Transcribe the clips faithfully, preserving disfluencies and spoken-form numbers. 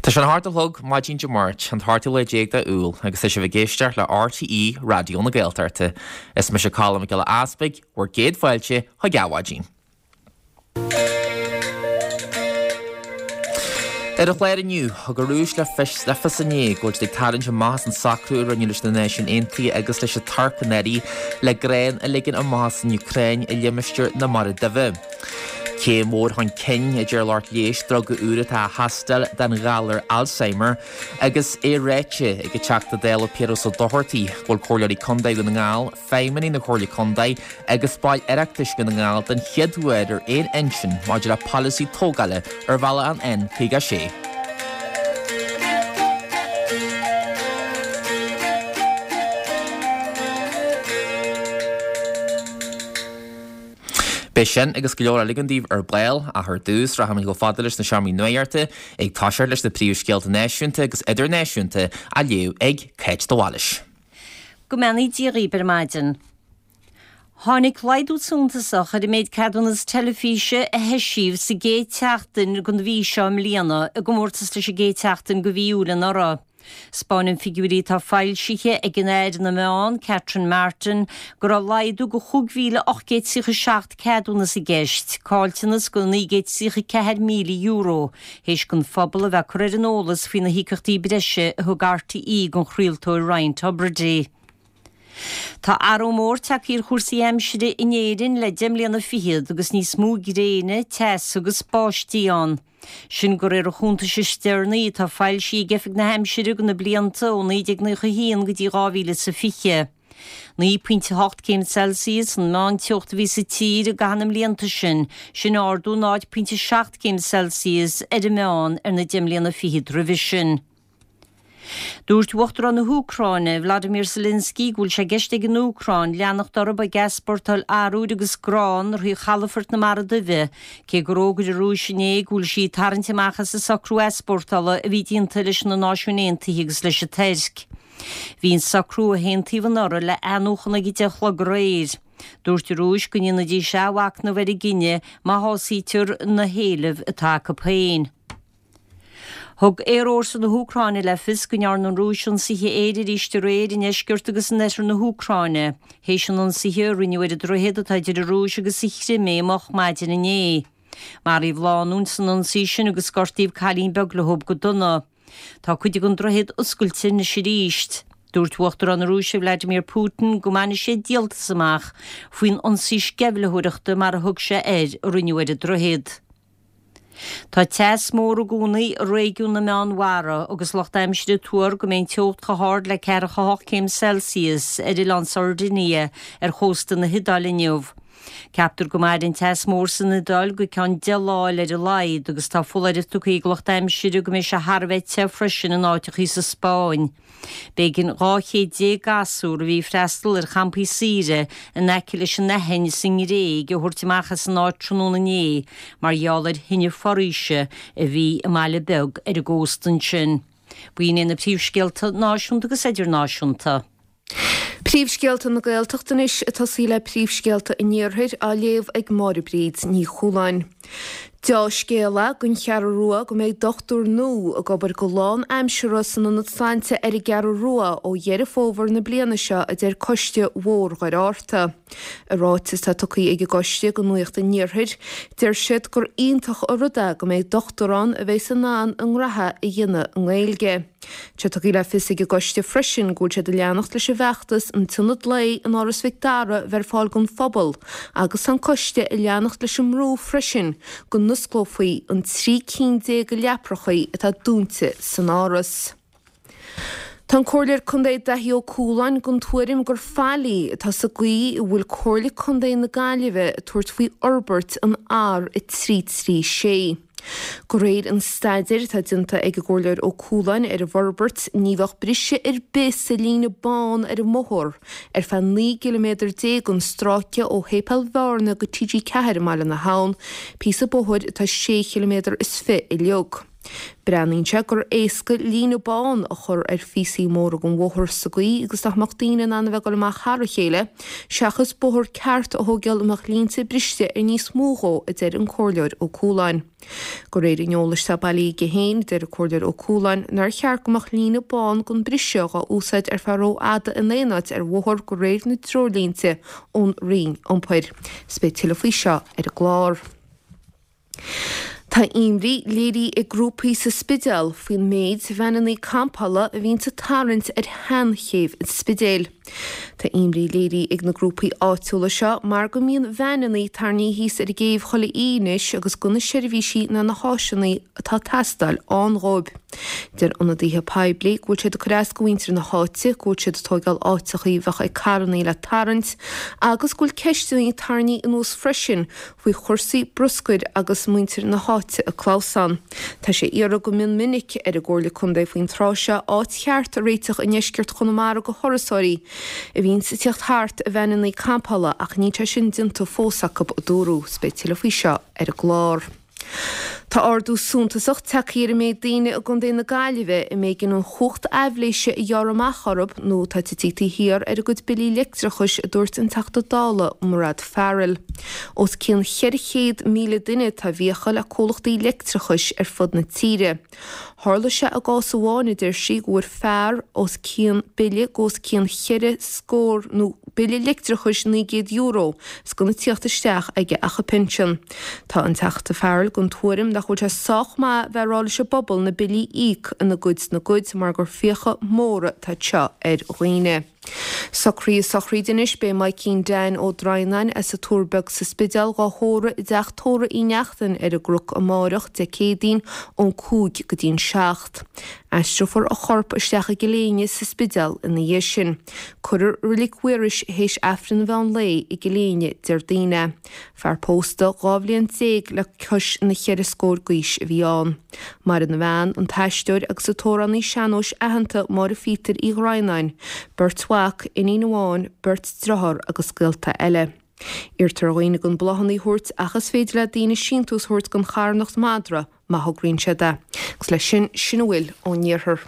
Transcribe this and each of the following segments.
Tá sé a hocht a chlog maidin Dé Máirt, an t-ochtú lá déag de Iúil, agus tá sibh ag éisteacht le RTÉ Raidió na Gaeltachta. Is mise Colm Mac Giolla Easpaig, bhur gcéad fáilte chuig Adhmhaidin. Ar an chlár inniu, thug an Rúis le fios le fios inné go bhfuil siad ag tarraingt amach as an socrú a rinneadh leis na Náisiúin Aontaithe agus leis an Tuirc anuraidh le grán a ligean amach as an Úcráin i limistéar na Mara Duibhe. Céim mhór chun cinn a deir lucht leighis druga úr atá á thástáil don ghalar Alzheimer agus é ráite ag an Teachta Dála Piaras Ó Dochartaigh go bhfuil Comhairleoirí Contae Dhún na nGall, feidhmeannaigh na Comhairle Contae agus baill Oireachtais Dhún na nGall den chéad uair ar aon intinn maidir le polasaí tógála ar bhealach an N caoga a sé. Beidh sin agus go leor eile againn daoibh ar ball, ach ar dtús rachaimid chomh fada leis na seomraí nuachta ag toiseacht leis na príomhscéalta náisiúnta agus idirnáisiúnta á léamh ag Cáit de Bhailís. Go mbeannaí Dia dhaoibh ar maidin. Tháinig laghdú suntasach ar an méid ceadúnas teilifíse a heisíodh sa gcéad tseachtain den mhí seo i mbliana i gcomórtas leis an gcéad tseachtain de mhí Iúil anuraidh. 'Spáineann figiúirí atá foilsithe ag an Aire na Meán, Catherine Martin, go raibh laghdú de chúig mhíle ocht gcéad tríocha seacht ceadúnas i gceist, caillteanas de naoi gcéad tríocha ceathair míle euro, théis don phobal a bheith curtha ar an eolas faoi na híocaíochtaí breise a thug RTÉ don chraoltóir Ryan Tubridy. Tá athrú mór tagtha ar chúrsaí aimsire in Éirinn le deich mbliana fichead agus níos mó gréine, teasa agus báistí ann. Sin de réir an chuntais is deireanaí atá foilsithe ag Oifig na hAimsire do na blianta ó naoi déag nócha a haon go dtí dhá mhíle is a fiche. Naoi pointe a hocht céim Celsius an meánteocht a bhí sa tír i gcaitheamh na mblianta sin, sin ardú náid pointe seacht céim Celsius ar an meán ar na deich mbliana fichead roimhe sin. Dúirt Uachtarán na hÚcráine, Vladimir Zelensky, go bhfuil sé i gceist ag an Úcráin leanacht orthu ag easpórtáil arbhair agus grán thrí chalafort na Mara Duibhe, cé gur fhógair an Rúis inné go bhfuil sí ag tarraingt amach as an socrú easpórtála a bhí déanta leis na Náisiúin Aontaithe agus leis an Tuirc. Bhí an socrú a haontaíodh anuraidh le athnuachan ag a deich a chlog aréir. Dúirt an Rúis go ndéanfaidís athmhachnamh ar a gcinneadh má shásaítear na héilimh atá acu féin. Thug Aerfhórsa na hÚcráine le fios go ndearna an Rúis ionsaithe aeir arís aréir i ndeisceart agus in oirthear na hÚcráine, théis an ionsaithe a rinneadh ar an droichead atá idir an Rúis agus an Chrimé moch maidin inné. Maraíodh lánúin san ionsaí sin agus gortaíodh cailín beag leo go dona. Tá cuid den droichead oscailte anois arís. Dúirt Uachtarán na Rúise Vladimir Putin go mbainfidh sé díoltas amach faoin ionsaí sceimhlitheoireachta mar a thug sé air a rinneadh ar an droichead. Tá teas mór i gcónaí i réigiún na Meánmhara agus lucht aimsire ag tuar go mbeidh an teocht chomh hard le ceathracha a hocht céim Celsius ar oileán Sardinia ar chósta na hIodáile inniu. Ceaptar go mairfidh an teas mór san Iodáil go ceann deich lá eile ar a laghad agus tá foláireamh tugtha ag lucht aimsire go mbeidh sé thar a bheith te freisin in áiteachaí sa Spáinn. B'éigean dhá chéad déag gasúr a bhí ag freastal ar champaí saoire in aice leis an Aithin sa nGréig a thabhairt amach as an áit tráthnóna inné mar gheall ar thine foraoise a bhí i mbaile beag ar an gcósta ansin. B'in iad na príomhscéalta náisiúnta agus idirnáisiúnta. Príomhscéalta na Gaeltachta anois ag tosaí le príomhscéalta an Iarthair á léamh ag Máire Bríd Ní Chualáin. Deá-scéal é don Cheathrú Rua go mbeidh dochtúir nua ag obair go lán-aimseartha san ionad sláinte ar an gCeathrú Rua ó Dheireadh Fómhair na bliana seo, a deir Coiste Bhóthar Dhoire Fhatharta. I ráiteas atá tugtha ag an gcoiste do Nuacht an Iarthair, deir siad gur iontach an rud é go mbeidh dochtúir ann a bheas in ann a ngraithe a dhéanamh i nGaeilge. Tá tugtha le fios ag an gcoiste freisin go bhfuil siad ag leanacht leis an bhfeachtas an t-ionad lae in Áras Mhic Dara bheith ar fáil don phobal agus tá an coiste ag leanacht leis an mbrú freisin go n-osclófaí an trí cinn déag de leaprachaí atá dúnta san Áras. Tá an Comhairleoir Contae Daithí Ó Cualáin den tuairim gur faillí atá sa gcaoi a bhfuil Comhairle Contae na Gaillimhe ag tabhairt faoi fhorbairt an R a trí trí sé. De réir an staidéir atá déanta ag an gComhairleoir Ó Cualáin ar an bhforbairt, ní bheadh briseadh ar bith sa líne bán ar an mbóthar ar feadh naoi gciliméadar déag den stráice ó Shéipéal Bhearna go T G ceathair i mBaile na hAbhann, píosa bóthair atá sé chiliméadar is fiche uilig. Breathnaíonn sé gur éasca líne bán a chur ar phíosaí móra den bhóthar sa gcaoi agus nach mbeadh daoine in ann a bheith ag dul amach thar a chéile, seachas bóthar ceart a thógáil a mbeadh línte briste ar níos mó dhó, a deir an Comhairleoir Ó Cualáin. De réir an eolais atá bailithe aige féin, deir an Comhairleoir Ó Cualáin nár cheart go mbeadh líne bán den briseadh dhá úsáid ar feadh rófhada in aon áit ar bhóthar de réir na dtreoirlínte ón Roinn Iompair. 'S beidh tuilleadh faoi seo ar an gclár. Tá imní léirithe ag grúpaí sa Spidéal faoin méid veaineanna campála a bhíonns ag tarraingt ar sheanchéibh an Spidéil. Tá imní léirithe ag na grúpaí áitiúla seo mar go mbíonn veaineanna tarraingthe thíos ar an gcéibh chuile oíche anois agus gan na seirbhísí ná na háiseanna atá ag teastáil ann dhóibh. Deir ionadaithe poiblí go bhfuil siad ag cur as go mhuintir na háite, go bhfuil siad ag tóigeáil áiteachaí a bheadh ag carrannaí le tarraingt agus go bhfuil ceisteanna tarraingthe anuas freisin faoi chúrsaí bruscair agus muintir na háite ag clamhsán. Tá sé iarrtha go mion minic ar an gComhairle Contae faoin tráth seo áit cheart a réiteach i ndeisceart Chonamara go thurasóirí a bhíonns ag tíocht thart i veaineanna campála ach níl sé sin déanta fós acu, a dúradh. 'S beidh tuilleadh faoi seo ar an gclár. Tá ardú suntasach tagtha ar an méid daoine i gContae na Gaillimhe a mb'éigean an chumhacht aibhléise a ghearradh amach orthu nó atá tite taobh thiar ar a gcuid billí leictreachais, a dúirt an Teachta Dála Mairéad Farrell. Os cionn cheithre chéad míle duine atá i bhfiacha le comhlachtaí leictreachais ar fud na tíre. Tharla sé i gcás amháin, a deir sí, go bhfuair fear os cionn bille go os cionn cheithre scór nó bille leictreachais naoi gcéad euro 's gan ag tíocht isteach aige ach a phinsean. Tá an Teachta Farrell den tuairim nach bhfuil sé sách maith bheith ag rá leis an bpobal na billí a íoc ina gcuid 's na gcuid mar gur fiacha móra atá seo ar dhaoine. Socraithe sochraide anois beidh Maidhcín Dan Ó Droighneáin as an Tuar Beag sa Spidéal dhá thórramh i dteach tórraimh Uí Neachtain ar an gCnoc amáireach, Dé Céadaoin, ón cúig go dtí an seacht. Aistreofar a chorp isteach i gCill Éinne sa Spidéal ina dhiaidh sin. Cuirfear i Reilig Mhaorais théis Aifreann an mheán lae i gCill Éinne Déardaoin é. Fear pósta dhá bhliain déag le cois na cheithre scór d'aois a bhí ann. Maireann a bhean, an t-aisteoir agus an t-amhránaí sean-nóis aitheanta Máire Phíotair Uí Dhroighneáin, beirt mhac, iníon amháin, beirt driotháir agus gaolta eile. Iarrtar ar dhaoine gan bláthanna a thabhairt ach is féidir le daoine síntiús a thabhairt don charthanacht Madra má thograíonn siad é. Agus leis sin, sin a bhfuil ón iarthar.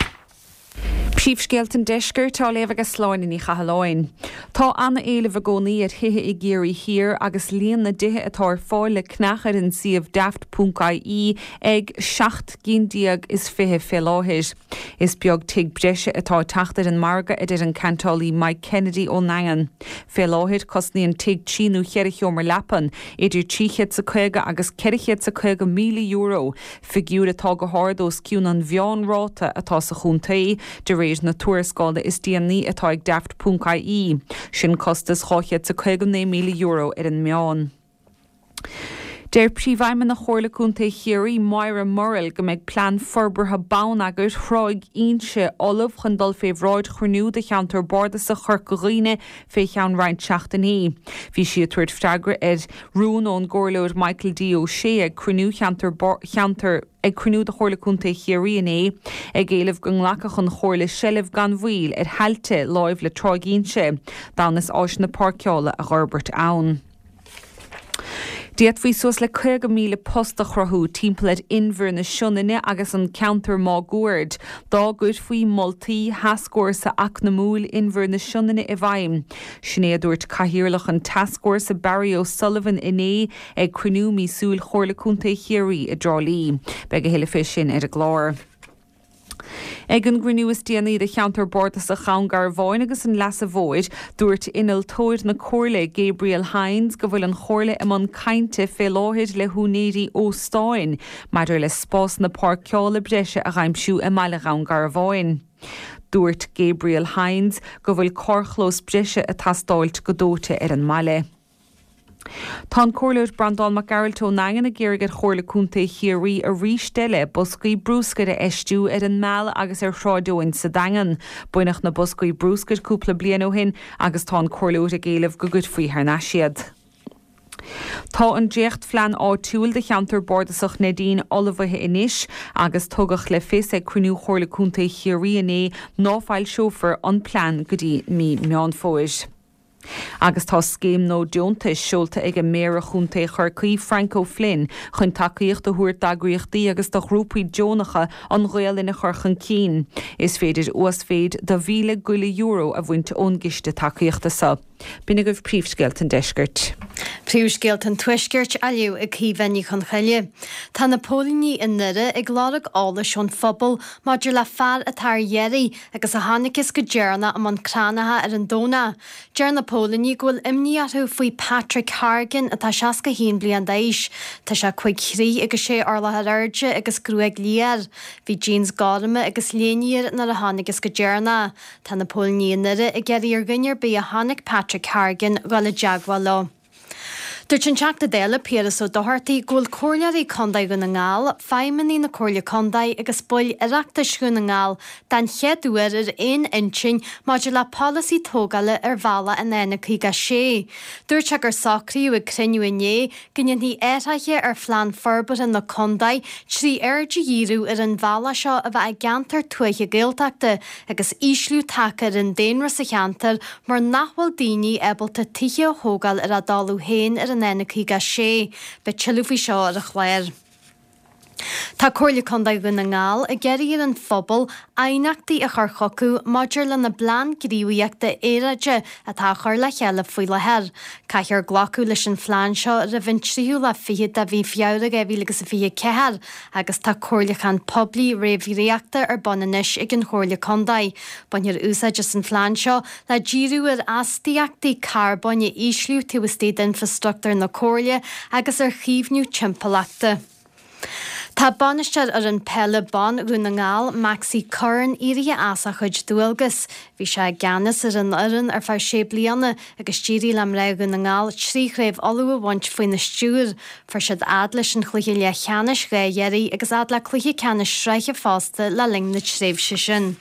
Príomhscéalta an Deiscirt á léamh ag Sláine Ní Chathalláin. Tá an-éileamh i gcónaí ar thithe i gCiarraí Thiar agus líon na dtithe atá ar fáil le ceannach ar an suíomh daft ponc ie ag seacht gcinn déag is fiche fé láthair. Is beag tigh breise atá ag teacht ar an margadh, a deir an ceantálaí Mike Kennedy ón nDaingean. Fé láthair, cosnaíonn tigh trí nó cheithre sheomra leapan idir trí chéad 's a caoga agus ceithre chéad 's a caoga míle euro, figiúr atá go hard os cionn an mheánráta atá sa chontae, de réir na tuarascála is déanaí atá ag Daft ponc ie. Sin costas dhá chéad 's a caoga naoi míle euro ar an meán. Deir Príomhfheidhmeannach Chomhairle Contae Chiarraí, Moira Murrell, go mbeidh plean forbartha bonneagair Thráigh Inse ullamh chun dul fé bhráid chruinniú de Cheantar Bardasach Chorca Dhuibhne fé cheann roinnt seachtainí. Bhí sí ag tabhairt freagra ar rún ón gComhairleoir Michael D Ó Sé ag cruinniú Cheantar Cheantar ag cruinniú de Chomhairle Contae Chiarraí inné, ag éileamh go nglacfadh an Chomhairle seilbh gan mhoill ar thailte láimh le Tráigh Inse, d'fhonn is áiseanna páirceála a dh'fhorbairt ann. D'fhéadfaí suas le caoga míle post a chruthú timpeall ar Inbhear na Sionainne agus an ceantar máguaird dá gcuirfí moltaí Thascfhórsa Eacnamúil Inbhear na Sionainne i bhfeidhm. Sin é a dúirt Cathaoirleach an Tascfhórsa Barry O'Sullivan inné ag cruinniú míosúil Chomhairle Contae Chiarraí i dTrá Lí. Beidh a thuilleadh fé sin ar an gclár. Ag an gcruinniú is déanaí de Cheantar Bardasach Dhún Garbháin agus an Leasa Mhóir, dúirt innealtóir na Comhairle, Gabriel Hynes, go bhfuil an Chomhairle i mbun cainte fé láthair le húinéirí óstáin maidir le spásanna páirceála breise a dh'aimsiú i mbaile Dhún Garbháin. Dúirt Gabriel Hynes go bhfuil carrchlós breise ag teastáilt go dóite ar an mbaile. Tá an Comhairleoir Breandán Mac Gearailt ón nDaingean ag iarraidh ar Chomhairle Contae Chiarraí arís eile boscaí brúscair a fheistiú ar an Meal agus ar Shráid Eoin sa Daingean. Baineadh na boscaí brúscair cúpla bliain ó shin agus tá an Comhairleoir ag éileamh go gcuirfí thar n-ais iad. Tá an dréachtphlean áitiúil do cheantar bardasach Neidín ullmhaithe anois agus tugadh le fios ag cruinniú Chomhairle Contae Chiarraí inné ná foilseofar an plean go dtí mí Meán Fómhair. Agus tá scéim nua deontais seolta ag an Méara Chontae Chorcaí Frank O'Flynn chun tacaíocht a thabhairt d'eagraíochtaí agus do ghrúpaí deonacha an Ghaelainn a chur chun cinn. Is féidir uasmhéid de mhíle go leith euro a bhaint ón gciste tacaíochta seo. B'in agaibh príomhscéalta an deiscirt. Príomhscéalta an tuaiscirt á léamh ag Caoimhe Ní Chonchoille. Tá na póilíní i nDoire ag lorg eolais ón phobal maidir le fear atá ar iarraidh agus a chonacthas go deireanach i mbun Cranncha ar an Domhnach. Deir na póilíní go bhfuil imní orthu faoi Patrick Hargan atá seasca haon bliain d'aois. Tá sé cúig throigh agus sé orlach ar airde agus gruaig liath air. Bhí jeans gorma agus léine air nuair a chonacthas go deireanach. Tá na póilíní i nDoire ag iarraidh ar dhuine ar bith a chonaic Patrick Hargan dhul i dteagmháil leo. Dúirt an Teachta Dála Piaras Ó Dochartaigh go bhfuil Comhairleoirí Contae Dhún na nGall, feidhmeannaigh na Comhairle Contae agus baill Oireachtais Dhún na nGall den chéad uair ar aon intinn maidir le polasaí tógála ar bhealach an N caoga sé. Dúirt sé gur socraíodh ag cruinniú inné go ndéanfaí athruithe ar phlean forbartha na contae trí aird a dhíriú ar an bhealach seo a bheith i gceantar tuaithe Gaeltachta agus ísliú tagtha ar an daonra sa cheantar mar nach bhfuil daoine ábalta tithe a thógáil ar a dtalamh féin ar an N caoga sé. Beidh tuilleadh faoi seo ar an chlár. Tá Comhairle Contae Dhún na nGall ag iarraidh ar an phobal aighneachtaí a chur chucu maidir lena bplean gníomhaíochta aeráide atá á chur le chéile faoi láthair. Caithfear glacadh leis an phlean seo roimh an tríú lá fichead de mhí Feabhra dhá mhíle agus a fiche ceathair agus tá comhairliúchán poiblí réamhdhréachta ar bun anois ag an Chomhairle Contae. Bainfear úsáid as an phlean seo le díriú ar astaíochtaí carbóin a ísliú taobh istigh d'infreastruchtúr na Comhairle agus ar chaomhnú timpeallachta. Tá bainisteoir fhoireann peile ban Dhún na nGall, Maxi Curran, éirithe as a chuid dualgas. Bhí sé i gceannas ar an fhoireann ar feadh sé bliana agus d'éirigh le mná Dhún na nGall trí chraobh Uladh a bhaint faoina stiúir. Fuair siad fhad leis an chluiche leathcheannais dhá iarraidh agus fhad le cluiche ceannais sraithe fosta le linn na tréimhse sin.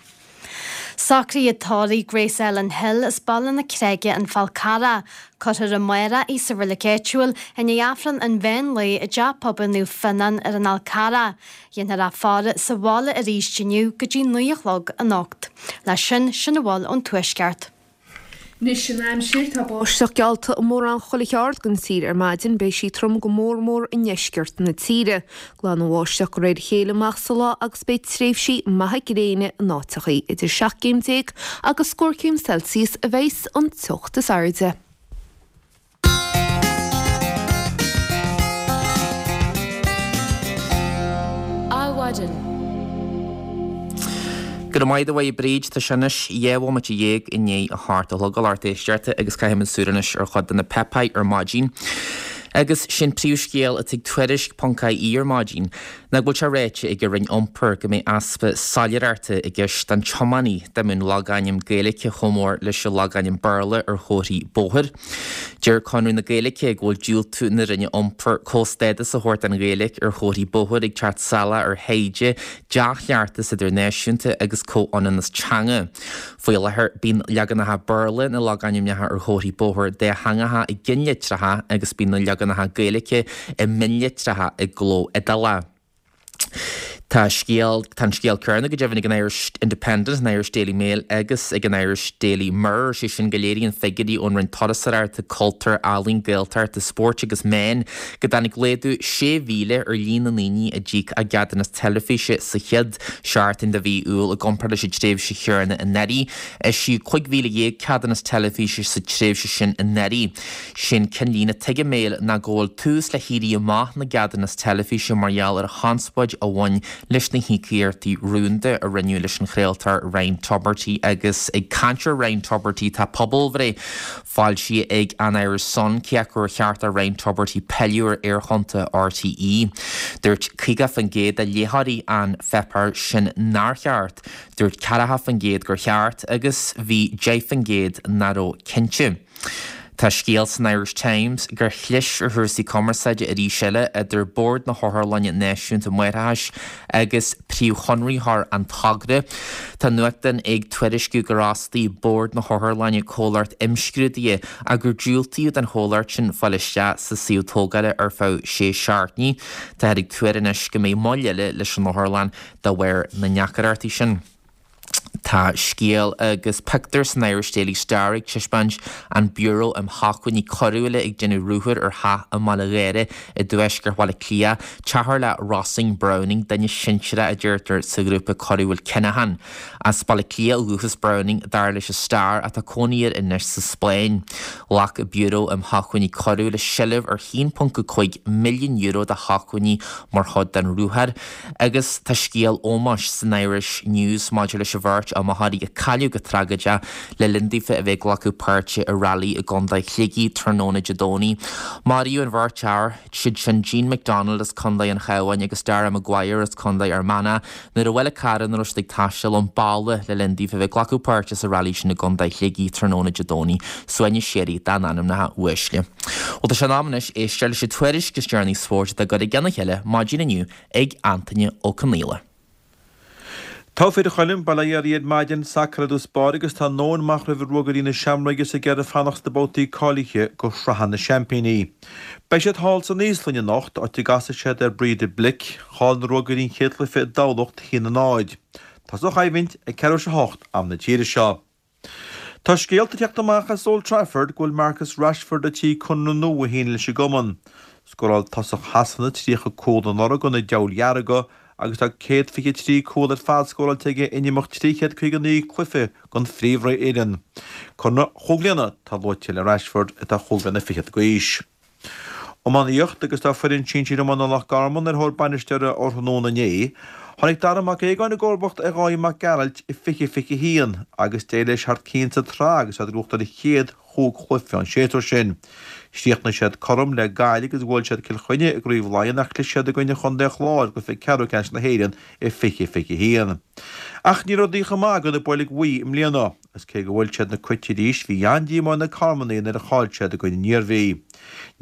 Socruithe tórraimh Grace Ellen Hill as Baile na Creige an Fál Carrach. Cuirfear amárach í sa reilig áitiúil i ndiaidh Aifreann an mheán lae i dTeach Pobail Naomh Fionnán ar an Fhál Carrach. Dhéanfar í a fhaire sa bhaile arís inniu go dtí naoi a chlog anocht. Leis sin, sin a bhfuil ón Tuaisceart. Anois an aimsir, tá báisteach geallta i mórán chuile cheard den tír ar maidin, beidh sí trom go mór mór i ndeisceart na tíre. Glanfaidh an bháisteach de réir a chéile amach sa lá agus beidh tréimhsí maithe gréine in áiteachaí. Idir seacht gcéim déag agus scór céim Celsius a bheas an teocht is airde. Adhmhaidin. Go raibh maith agat a Bhríd, tá sé anois dhá bhomaite dhéag i ndiaidh a hocht a chlog a lucht éisteachta agus caithfimid súil anois ar chuid de na páipéir ar maidin. Agus sin príomhscéal atá ag Tuairisc ponc ie ar maidin, ná go bhfuil sé ráite ag an Roinn Iompair go mbeidh easpa soiléireachta i gceist don tiománaí dá mbeadh an logainm Gaeilge chomh mór leis an logainm Béarla ar chomharthaí bóthair. Deir Conradh na Gaeilge go bhfuil diúltú na Roinne Iompair comhstádas a thabhairt don Ghaeilge ar chomharthaí bóthair ag teacht salach ar thaighde, dea-chleachtas idirnáisiúnta agus comhionannas teanga. Faoi láthair, bíonn leaganacha Béarla na logainmneacha ar chomharthaí bóthair dátheangacha i gcinnlitreacha agus bíonn na leaganacha Gaeilge i mionlitreacha i gcló iodálach. Tá scéal, tá an scéal céanna go deimhin ag an Irish Independent, an Irish Daily Mail agus ag an Irish Daily Mirror, sé sin go léiríonn figiúirí ón Roinn Turasóireachta, Cultúir, Ealaíon, Gaeltachta, Spóirt agus Meán go dtáinig laghdú sé mhíle ar líon na ndaoine a d'íoc a gceadúnas teilifíse sa chéad seachtain de mhí Iúil i gcomparáid leis an tréimhse chéanna anuraidh. Eisíodh cúig mhíle dhéag ceadúnas teilifíse sa tréimhse sin anuraidh. Sé'n cinnlíne atá ag an Mail ná go bhfuil tús le héirí amach na gceadúnas teilifíse mar gheall ar chonspóid a bhain leis na híocaíochtaí rúnda a rinneadh leis an chraoltóir Ryan Tubridy agus ag caint ar Ryan Tubridy tá pobalbhreith foilsithe ag an Irish Sun cé acu ar cheart do Ryan Tubridy pilleadh ar aerthonnta RTÉ. Dúirt caoga faoin gcéad de léitheoirí an pháipéir sin nár cheart, dúirt ceathracha faoin gcéad gur cheart agus bhí deich faoin gcéad nach raibh cinnte. Tá scéal san Irish Times gur chlis ar chúrsaí cumarsáide arís eile idir Bord na hOtharlainne Náisiúnta Máithreachais agus príomhchonraitheoir an togra. Tá nuachtán ag tuairisciú gur fhostaigh Bord na hOtharlainne comhlacht imscrúdaithe ach gur diúltaíodh don chomhlacht sin fáil isteach sa suíomh tógála ar feadh sé seachtainí. Táthar ag tuar anois go mbeidh moill eile leis an otharlann de bharr na ndeacrachtaí sin. Tá scéal agus pictiúr san Irish Daily Star ag taispeáint an Bureau um Shócmhainní Coiriúla ag déanamh ruathair ar theach i mBaile Gháire i dtuaisceart Bhaile Átha Cliath, teach le Róisín Browning, duine sinsearach a deirtear sa ghrúpa coiriúil Kinahan. As Baile Átha Cliath ó dhúchas Browning dar leis an Star atá cónaí air anois sa Spáinn. Ghlac Bureau um Shócmhainní Coiriúla seilbh ar haon ponc a cúig milliún euro de shócmhainní mar chuid den ruathar agus tá scéal ómóis san Irish News maidir leis an bheirt iomaitheoirí a cailleadh go tragóideach le linn daofa a bheith ag glacadh páirte i rally i gContae Shligigh tráthnóna Dé Domhnaigh. Maraíodh an bheirt fhear, siad sin Jean McDonald as Contae an Chabháin agus Dara Maguire as Contae Fhear Manach, nuair a bhuail carr ina raibh siad ag taisteal ón balla le linn daofa a bheith ag glacadh páirte sa rally sin i gContae Shligigh tráthnóna Dé Domhnaigh, suaimhneas síoraí dá n-anamnacha uaisle. Bhuel tá sé in am anois éisteacht leis an tuairisc is deireanaí spóirt atá curtha i gceann a chéile maidin inniu ag Antaine Ó Conaola. Tá fir Choilm bail ó Dhia oraibh ar maidin sacar i dtús báire agus tá an domhan amach roimh Ruagairí na Seamróige is ag iarraidh fanacht sna babhtaí cáilithe go Sraith na Seaimpíní. Beidh siad thall san Íoslainn anocht, áit a gcasfaidh siad ar Breidablik. Chaill na Ruagairí an chéad chluiche i dTamhlacht a haon a náid. Tosóidh an choimhlint ag ceathrú tar éis a hocht am na tíre seo. Tá scéalta ag teacht amach as Old Trafford go bhfuil Marcus Rashford ar tí conradh nua a shíniú leis an gcumann. Scóráil tosach Shasana tríocha cúl anuraidh do na Diabhail Dhearga agus tá céad fiche trí cúl ar fad scóráilte aige in imeacht trí chéad caoga naoi cluiche don phríomhfhoireann. Conradh chúig bliana atá luaite le Rashford atá chúig bliana fichead d'aois. Iománaíocht agus tá foireann sinsir iomána Loch Garman ar thóir bainisteora ó thráthnóna inné. Tháinig Dara Mac Aogáin i gcomharbacht ar Dháithí Mac Gearailt i fiche fiche haon agus d'éirigh leis thar cionn sa tsraith agus iad ag buachtáil an chéad chúig chluiche an séasúr sin. Chríochnaigh siad cothrom le Gaillimh agus bhuail siad Cill Chainnigh i gCraobh Laighean ach chlis siad i gcoinne Chontae an Chláir i gcluiche ceathrú ceannais na hÉireann i fiche fiche haon. Ach ní raibh rudaí chomh maith do na Boilg Bhuí i mbliana, agus cé gur bhuail siad na Cait arís bhí an-díomá ar na Carmannaigh nuair a chaill siad i gcoinne an Iarmhí.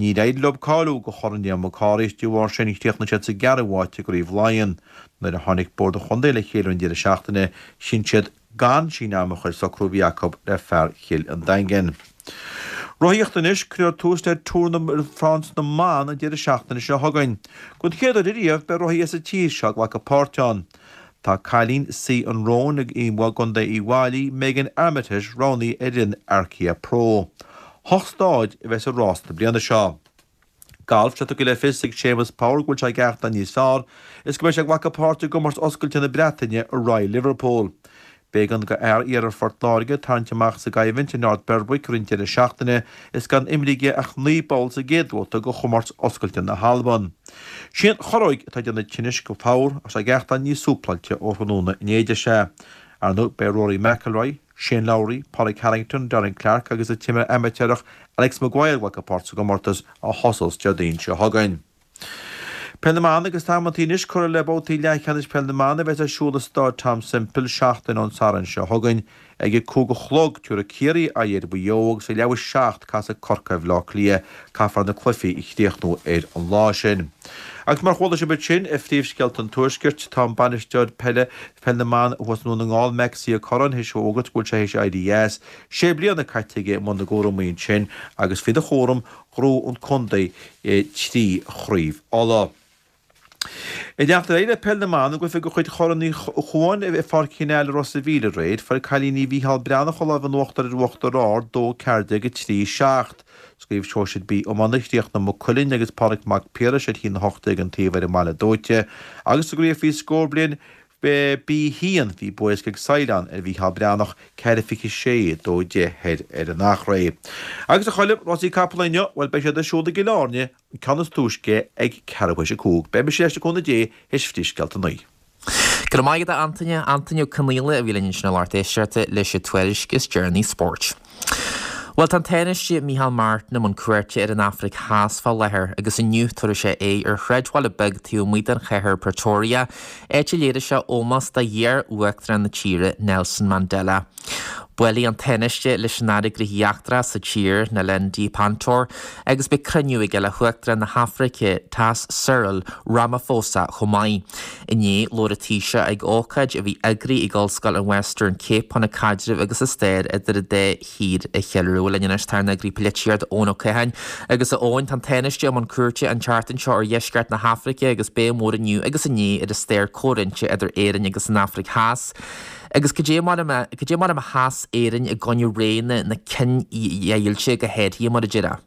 Níor éirigh leo cáiliú do Chorn Liam Mac Cárthaigh is de bharr sin chríochnaigh siad sa gceathrú háit i gCraobh Laighean. Nuair a tháinig Bord an Chontae le chéile ar an deireadh seachtaine, chinn siad gan síneadh ama a chur le socrú a bhí acu le fear Chill an Daingin. Rothaíocht anois, cuirfear tús le Tour de France na mBan an deireadh seachtaine seo chugainn. Don chéad uair ariamh beidh rothaí as an tír seo ag glacadh páirt ann. Tá cailín Sí an Róin i gContae Uíbh Fhailí, Megan Armitage, roghnaithe ar fhoireann Arkéa Pro. Hocht stáid a bheas i rás na bliana seo. Galf, tá tugtha le fios ag Séamus Power go bhfuil sé ag aireachtáil níos fearr is go mbeidh sé ag glacadh páirt i gcomórtas oscailte na Breataine i Royal Liverpool. B'éigean do fhear Iarthar Phort Láirge tarraingt amach sa gcoimhlint in North Berwick roinnt deireadh seachtaine is gan imrithe aige ach naoi bpoll sa gcéad bhabhta de chomórtas oscailte na hAlban. Sí an chorróig atá ag déanamh tinnis do Power ach tá sé ag aireachtáil níos súpláilte ó thráthnóna inné a deir sé. Ar ndóigh beidh Rory McIlroy, Shane Lowry, Pádraig Harrington, Darren Clarke agus an t-imreoir amaitéarach Alex Maguire ag glacadh páirt sa gcomórtas a thosós Déardaoin seo chugainn. Peil na mBan agus tá amantaí anois curtha le babhtaí leathcheannais Peil na mBan a bheas ar siúl i Stáid Tom Semple seachtain ón Satharn seo chugainn. Ag a cúig a chlog, tabharfaidh Ciarraí aghaidh ar Mhaigh Eo agus ag leathuair théis a seacht casfaidh Corcaigh ar Bhaile Átha Cliath. Caithfear na cluichí a chríochnú ar an lá sin. Agus mar chuala sibh ansin i phríomhscéalta an Tuaiscirt, tá an bainisteoir peile, Peil na mBan thuas i nDún na nGall, Maxi Ó Curráin, théis a fhógairt go bhfuil sé théis éirí as. Sé bliana caite aige i mbun na gcúramaí ansin agus faoina chúram ghnóthaigh an contae trí chraobh Uladh. Ag leanacht ar aghaidh le Peil na mBan i gcluiche de chuid Chorn Uí Chuain i bPáirc Chinn Airle i Ros a' Mhíl aréir, fuair cailíní Mhícheál Breathnach an lámh in uachtar ar Uachtar Ard, dó ceathair déag a trí seacht. Sa gcraobh Shóisir B Iomána chríochnaigh Maigh Cuilinn agus Pádraig Mac Piarais ar haon a hocht déag an taobh ar an mBaile Dóite agus sa gcraobh faoi scór bliain B haon bhí bua éasca ag Saighleán ar Mhícheál Breathnach, ceathair fiche sé, dó deich thoir ar an Eachréidh. Agus a Choilm, rásaí capall inniu, bhuel beidh siad ar siúl i gCill Airne, an ceann is túisce ag ceathrú théis a cúig. Beidh mise ar ais le cúnamh Dé théis Phríomhscéalta a naoi. Go raibh maith agat a Antaine. Antaine Ó Conaola a bhí linn ansin a lucht éisteachta leis an tuairisc is deireanaí spóirt. Bhuel, tá an Tánaiste Micheál Martin i mbun cuairte ar an Afraic Theas fá láthair agus inniu tabharfaidh sé aghaidh ar shráidbhaile beag taobh amuigh den chathair Pretoria, áit a léireoidh sé ómós do iar-uachtarán na tíre, Nelson Mandela. Buailfidh an Tánaiste leis an Aire Gnóthaí Eachtracha sa tír, Naledi Pandor, agus beidh cruinniú aige le hUachtarán na hAfraice Theas Cyril Ramaphosa chomh maith. Inné, labhair an Taoiseach ag ócáid a bhí eagraithe ag Ollscoil an Western Cape chun an caidreamh agus an stair idir an dá thír a cheiliúradh. Linn anois tá ár n-eagraí polaitíochta Eoin Ó Catháin agus a Eoin, tá an Tánaiste i mbun cuairte an tseachtain seo ar dheisceart na hAfraice agus béim mhór inniu agus inné ar an stair comhroinnte idir Éirinn agus an Afraic Theas. Agus cad é mar a cad é mar a sheas Éirinn i gcoinne ré na na cinedheighilte go háirithe mar a déarfá.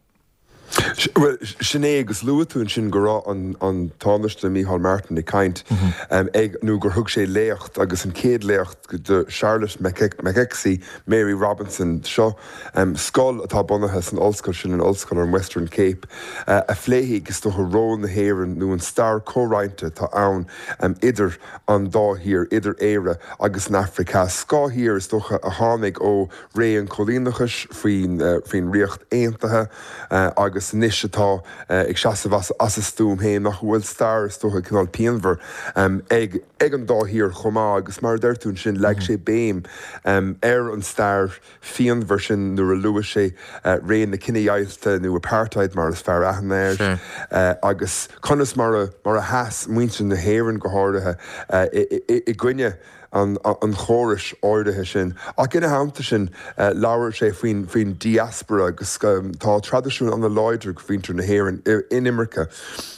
Well, sin é agus luaigh tú ansin go raibh an, an Tánaiste Micheál Martin ag caint mm -hmm. um, ag nó gur thug sé léacht agus an chéad léacht de Charlotte Maxeke Mary Robinson seo um, scoil atá bunaithe san ollscoil sin an ollscoil an Western Cape uh, a phléifidh is dócha ról na hÉireann nó an stair chomhroinnte atá ann um, idir an dá thír idir Éire agus an Afraic Theas. Dhá thír is dócha a tháinig ó ré an choilíneachais faoin uh, faoin Ríocht Aontaithe uh, agus anois atá uh, ag seasamh as, as a stuaim féin nach bhfuil stair is dócha cineál pianmhar um, ag, ag an dá thír chomh maith agus mar deir tú sin leag sé béim um, ar an stair phianmhar sin nuair a luaigh sé uh, ré na cinedheighilte nó apartheid mar is fearr aithne air Sure. uh, agus conas mar a, mar a sheas muintir na hÉireann go háirithe uh, i, i, i gcoinne an, an chórais áirithe sin. Ach ina theannta sin uh, labhair sé faoin faoin diaspora agus um, tá traidisiún an-láidir ag muintir na hÉireann in imirce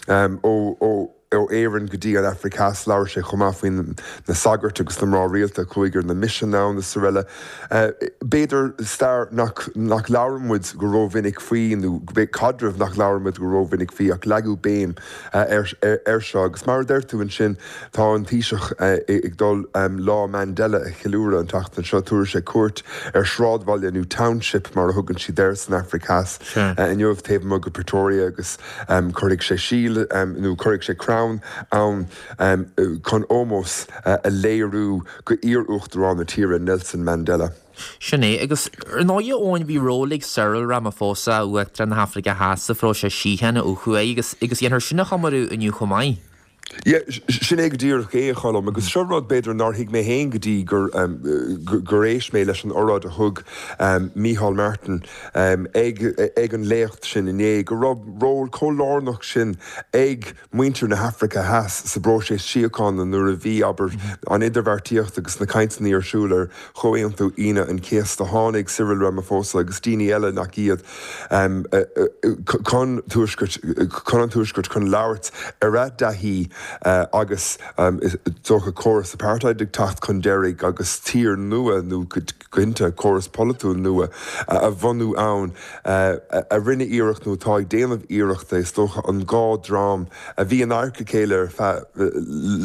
um, ó, ó ó Éirinn go dtí an Afraic Theas labhair sé chomh maith faoin na sagairt agus na mná rialta chuig na misin ann is araile. Uh, B'fhéidir stair nach, nach labhraíonn muid go rómhinic faoi nó caidreamh nach labhraíonn muid go rómhinic faoi ach leagadh béim uh, ar, ar, ar seo agus mar deir tú ansin tá an Taoiseach uh, ag dul um, lá Mandela a cheiliúradh an tseachtain seo tabharfaidh sé cuairt ar sráidbhaile nó township mar a thugann siad air san Afraic Theas Sure. uh, inniu taobh amuigh de Pretoria agus um, cuirfidh sé síol um, nó cuirfidh sé crann ann um, chun ómós uh, a léiriú go iar-uachtarán na tíre Nelson Mandela. Sin é agus ar ndóigh Eoin bhí ról ag Cyril Ramaphosa uachtarán na hAfraice Theas sa phróiseas síochána ó thuaidh agus agus dhéanfar sin a chomóradh inniu chomh maith. Yeah, sin é go díreach é cholm agus seo rud b'fhéidir nár thuig mé féin go dtí gur um, gur éist mé leis an óráid a thug um, Micheál Martin um, ag, ag an léacht sin inné go raibh ról chomh lárnach sin ag muintir na hAfraice Theas sa bpróiseas síochána nuair a bhí aber an idirbheartaíocht agus na cainteanna ar siúl ar Chomhaontú Aoine an Chéasta tháinig Cyril Ramaphosa agus daoine eile nach iad um, uh, uh, chun tuaisceart chun an tuaisceart chun labhairt ar a dtaithí uh, agus um, dócha córas apartheid ag teacht chun deiridh agus tír nua nó cinnte córas polaitiúil nua uh, a bhunú ann uh, a rinne iarracht nó tá ag déanamh iarrachta is dócha an dhá dhream a bhí in adharca a chéile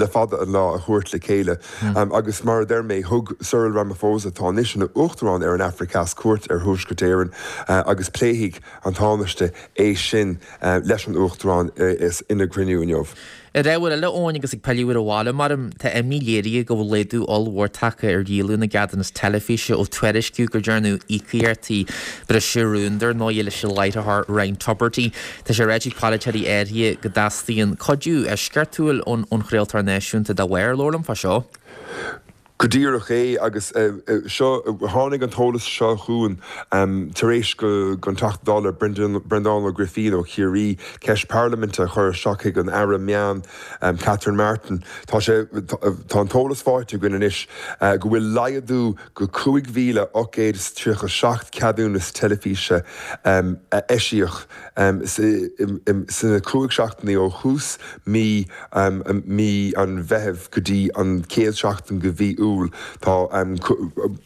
le fada an lá a thabhairt le chéile mm. um, agus mar a deir mé thug Cyril Ramaphosa tá anois ina uachtarán ar an Afraic Theas cuairt ar Thuaisceart Éireann uh, agus pléifidh an Tánaiste é sin uh, leis an uachtarán uh, is ina gcruinniú inniu. Ar ábhar eile Eoin agus ag pilleadh abhaile mar tá imní léirithe go bhfuil laghdú ollmhór tagtha ar dhíolú na gceadúnas teilifíse ó tuairisciú gur dearnadh íocaíochtaí briseadh rúin dar ndóigh leis an láithreoir Ryan Tubridy. Tá sé ráite ag polaiteoirí áirithe go dteastaíonn cuidiú eisceachtúil ón ón chraoltóir náisiúnta dá bharr labhair liom fá seo. Go díreach é agus uh, uh, seo tháinig an t-eolas seo chugainn um, tar éis go an Teachta Dála Breandán Ó Grifín ó Chiarraí ceist parlaiminte a chur isteach chuig an Aire Meán um, Catherine Martin. Tá sé tá an t-eolas faighte againn anois uh, go bhfuil laghdú go cúig mhíle ocht gcéad tríocha seacht ceadúnas teilifíse um, eisíodh um, sna cúig seachtainí ó thús mí um, mí an Mheithimh go dtí an chéad seachtain de mhí Iúil tá um,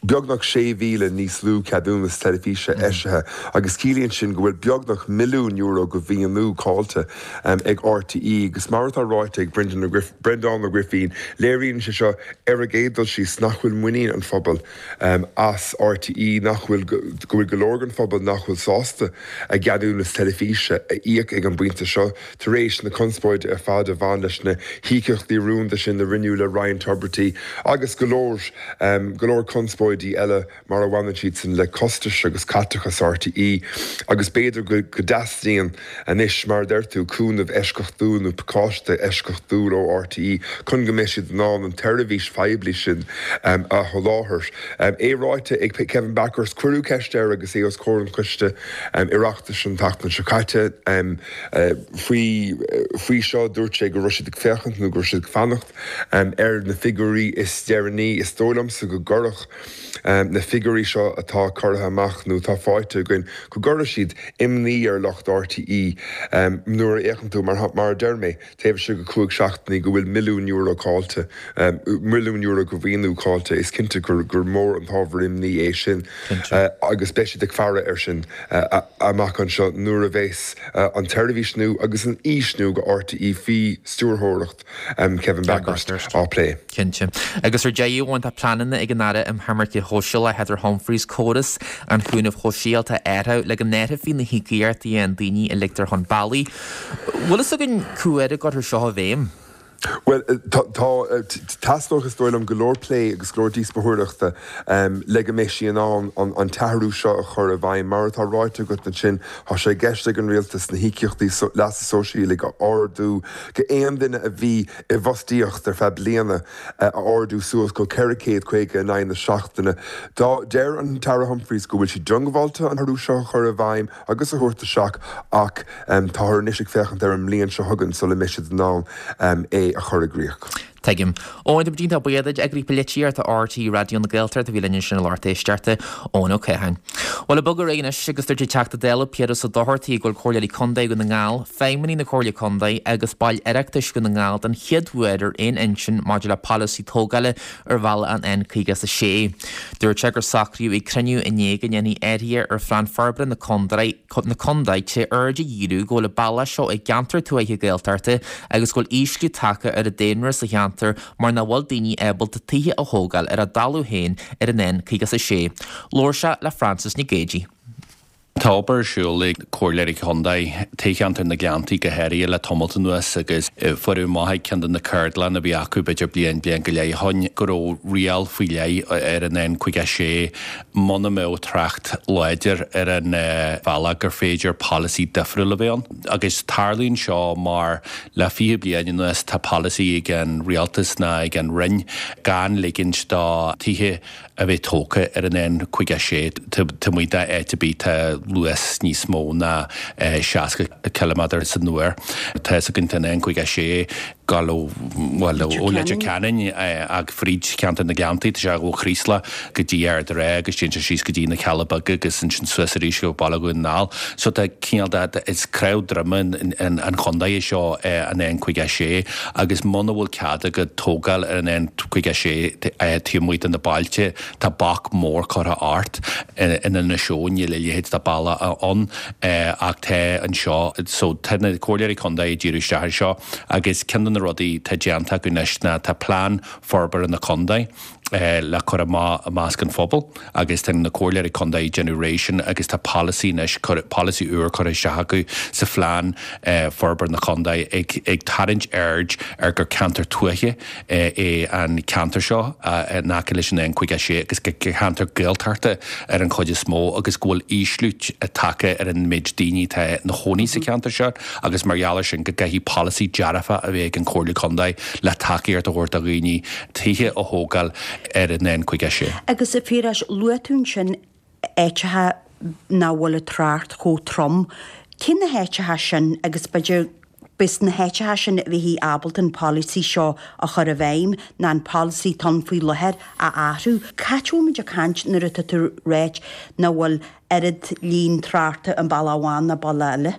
beagnach sé mhíle níos lú ceadúnas teilifíse mm. eisithe agus ciallaíonn sin go bhfuil beagnach milliún euro de mhaoiniú caillte um, ag RTÉ agus mar atá ráite ag Breandán Ó Grifín léiríonn sé seo ar a gcéad dul síos nach bhfuil muinín an phobal um, as RTÉ nach bhfuil go bhfuil go leor den phobal nach bhfuil sásta a gceadúnas teilifíse a íoc ag an bpointe seo tar éis na conspóide ar fad a bhain leis na híocaíochtaí rúnda sin a rinneadh le Ryan Tubridy agus go leor um, go leor conspóidí eile mar a bhaineann siad sin le costais agus caiteachas RTÉ agus b'fhéidir go go dteastaíonn anois mar deir tú cúnamh eisceachtúil nó pacáiste eisceachtúil ó RTÉ chun go mbeidh siad in ann an tseirbhís phoiblí sin um, a sholáthar. Um, é ráite ag Kevin Bakhurst cuireadh ceist air agus é os comhair an choiste um, Oireachtais an tseachtain seo caite um, uh, faoi faoi seo dúirt sé go raibh siad ag féachaint nó go raibh siad ag fanacht um, ar na figiúirí is deireanaí imní. Is dóigh liomsa go gcuirfeadh na figiúirí seo atá curtha amach nó atá faighte againn, go gcuirfidh siad imní ar lucht RTÉ nuair a fhéachann tú, mar mar a deir mé, taobh istigh de chúig seachtainí go bhfuil milliún euro caillte, milliún euro de mhaoiniú caillte. Is cinnte gur gur mór an t-ábhar imní é sin agus beidh siad ag faire air sin amach anseo nuair a bheas an tseirbhís nua agus an fhís nua do RTÉ faoi stiúrthóireacht Kevin Bakhurst á plé. Cinnte. Agus ar deireadh amháin tá pleananna ag an Aire um Choimirce Shóisialta Heather Humphreys córas an chúnaimh shóisialta a athrú le go n-áireofaí na híocaíochtaí a fhaigheann daoine a ligtear chun bealaigh. Bhfuil fhios againn cá huair a gcuirfear seo i bhfeidhm? Bhuel, tá, teastóidh is dóigh liom go leor plé agus go leor díospóireachta le go mbeidh sí in ann an t-athrú seo a chur i bhfeidhm. Mar atá ráite agat ansin, tá sé i gceist ag an rialtas na híocaíochtaí leasa sóisialaigh a ardú go aon duine a bhí i bhfostaíocht ar feadh bliana a ardú suas go ceithre chéad caoga in aghaidh na seachtaine. Deir an tAire Humphreys go bhfuil sí diongbháilte an t-athrú seo a chur i bhfeidhm agus a thabhairt isteach ach táthar anois ag féachaint ar an mbliain seo chugainn sula mbeidh siad in ann é a chur i gcrích. Tuigim. Eoin, tá muid iontach buíoch duit, Eagraí Polaitíochta RTÉ Raidió na Gaeltachta a bhí linn ansin i lucht éisteachta, Eoin Ó Catháin. Bhuel, ag bogadh ar aghaidh anois agus dúirt an Teachta Dála Piaras Ó Dochartaigh go bhfuil Comhairleoirí Contae Dhún na nGall, feidhmeannaigh na Comhairle Contae agus baill Oireachtais Dhún na nGall den chéad uair ar aon intinn maidir le polasaí tógála ar bhealach an N caoga is a sé. Dúirt sé gur socraíodh ag cruinniú inné go ndéanfaí athruithe ar Phlean Forbartha na Contae na Contae trí aird a dhíriú go bhfuil an bealach seo i gceantar tuaithe Gaeltachta agus go bhfuil ísliú tagtha ar an daonra sa cheantar mar nach bhfuil daoine ábalta tithe a thógáil ar a dtalamh féin ar an N caoga is a sé. Labhair sé le Frances Nic Géadaigh. Tá obair ar siúl ag Comhairleoirí Contae, toghcheantar na Gleanntaí go háirithe le tamalt anuas agus fuaireadh amach ag ceann de na ceardlanna a bhí acu b'fhéidir bliain, bliain go leith ó shin go raibh riail faoi leith ar an N caoga a sé muna mbeadh trácht láidir ar an bhealach gur féidir polasaí difriúil a bheith ann. Agus tarlaíonn seo mar le fiche bliain anuas tá polasaí ag an rialtas ná ag an Roinn gan ligint do tithe a bheith tógtha ar an N caoga a sé taobh amuigh d'áit ar bith tá luas níos mó ná seasca ciliméadar san uair. Tá fhios againn tá an N caoga a sé gabháil ó, bhuel, ó Leitir Ceanainn ach fríd cheantar na Gleanntaí, tá sé ó Chraoslach go dtí Ard an Rátha agus téann sé síos go dtí na Cealla Beaga agus ansin suas arís go Baile Dhún na nGall. So tá cineál de, is cnámh droma an chontae é seo an N caoga a sé agus muna bhfuil cead agat tógáil ar an N caoga a sé taobh amuigh de na bailte, tá bac mór curtha ort. In Inis Eoghain níl a leithéid de bealach ann ach tá anseo. So tá na comhairleoirí contae ag díriú isteach air seo agus ceann de na rudaí atá déanta acu anois ná tá plean forbartha na contae le cur amach i measc an phobail agus tá na comhairleoirí contae ag déanamh réidh sin agus tá polasaí anois, polasaí úr curtha isteach acu sa phlean forbartha na contae ag ag tarraingt aird ar gur ceantar tuaithe é an ceantar seo in aice leis an N caoga a sé agus gur ceantar Gaeltachta ar an chuid is mó agus go bhfuil ísliú tagtha ar an méid daoine atá ina chónaí sa cheantar seo agus mar gheall air sin go gcaithfidh polasaí dearfach a bheith ag an Chomhairle Contae le tacaíocht a thabhairt do dhaoine tithe a thógáil ar an N caoga a sé. Agus a Phiarais, luaigh tú ansin áiteacha nach bhfuil an trácht chomh trom. Cé na háiteacha sin agus b'fhéidir b'sna na háiteacha sin a bheifí ábalta an polasaí seo a chur i bhfeidhm ná an polasaí atá ann faoi láthair a athrú. Cá háit a bhfuil muid ag caint nuair atá tú ag ráit nach bhfuil oiread líon tráchta i mbealach amháin ná bealach eile?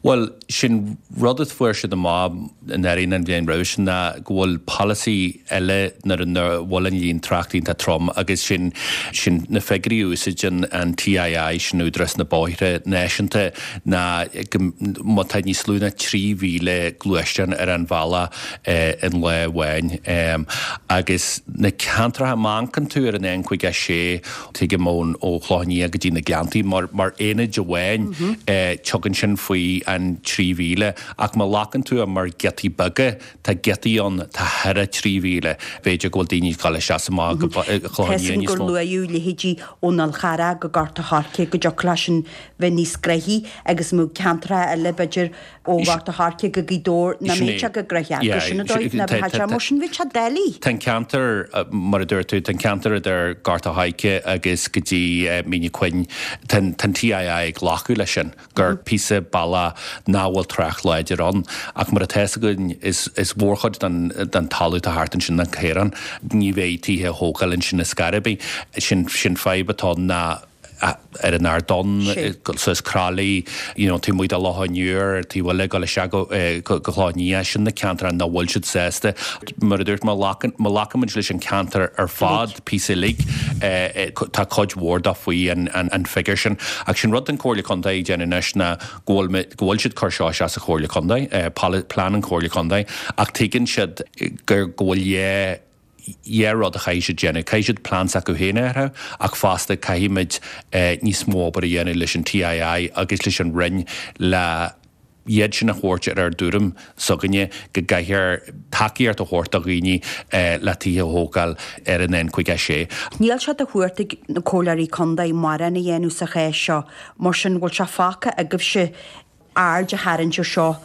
Bhuel, sin rud a fuair siad amach anuraidh an bhliain roimhe sin ná go bhfuil polasaí eile nuair a bhfuil an líon tráchta iontach trom agus sin sin na figiúirí a úsáideann an TII, sin Údarás na Bóithre Náisiúnta, ná go má tá níos lú ná trí mhíle gluaisteán ar an bhealach in lá amháin agus na ceantracha, má amharcann tú ar an N caoga a sé, tuigim ón ó Chloich Cheann Fhaola go dtí na Gleanntaí mar mar aonaid amháin tugann sin faoi an trí mhíle ach má ghlacann tú é mar giotaí beaga tá giotaí ann tá thar a trí mhíle b'fhéidir go bhfuil daoine ag dul isteach is amach go Cloich Cheann Fhaola níos gur mó. luaíodh leithéidí ón Fhál Charrach go Gort a' Choirce go dtiocfadh leis sin bheith níos gnoithí agus mbeadh ceantracha eile b'fhéidir ó Ghort a' Choirce go Gaoth Dobhair nach Sin mbeadh é. sé chomh gnoitheach Yeah, gur sin an dóigh ná tá- bheadh sé tá- mar sin bheadh sé doiligh. Tá an ceantar, mar a dúirt tú, tá an ceantar idir Gort a' Choirce agus go dtí Mín an Chuinn, tá an TII ag glacadh leis sin, gur píosa bealach nach bhfuil trácht láidir ann. Ach mar atá fhios againn is is mhórchuid den den talamh atá thart ansin ná caorán. Ní bheidh tithe á thógáil ansin ar scor ar bith. Sin sin fadhb atá ann ná ar an Ardán, suas Croithlí, you know, taobh amuigh de Loch an Iúir, taobh eile ag dul isteach go go Cloich Nia, sin na ceantair nach bhfuil siad sásta. Mar a dúirt má ghlacaimid leis an ceantar ar fad, píosa uilig, tá cuid mhór dó faoi an an figure sin. Ach sin rud an Comhairle Contae ag déanamh anois ná go bhfuil go bhfuil siad cur seo isteach sa Chomhairle Contae, plean an Chomhairle Contae, ach tuigeann siad gur go bhfuil dhá dhá rud a chaithfidh siad déanamh. Caithfidh siad plean s'acu féin a athrú ach fosta caithfimid níos mó obair a dhéanamh leis an TII agus leis an Roinn le iad sin a thabhairt ar ár dtuairim s'againne go gcaithfear tacaíocht a thabhairt do dhaoine le tithe a thógáil ar an N caoga a sé. Níl sé de chumhacht ag na comhairleoirí contae mórán a dhéanamh sa chás seo, mar sin bhfuil sé fágtha agaibhse aird a tharraingt ar seo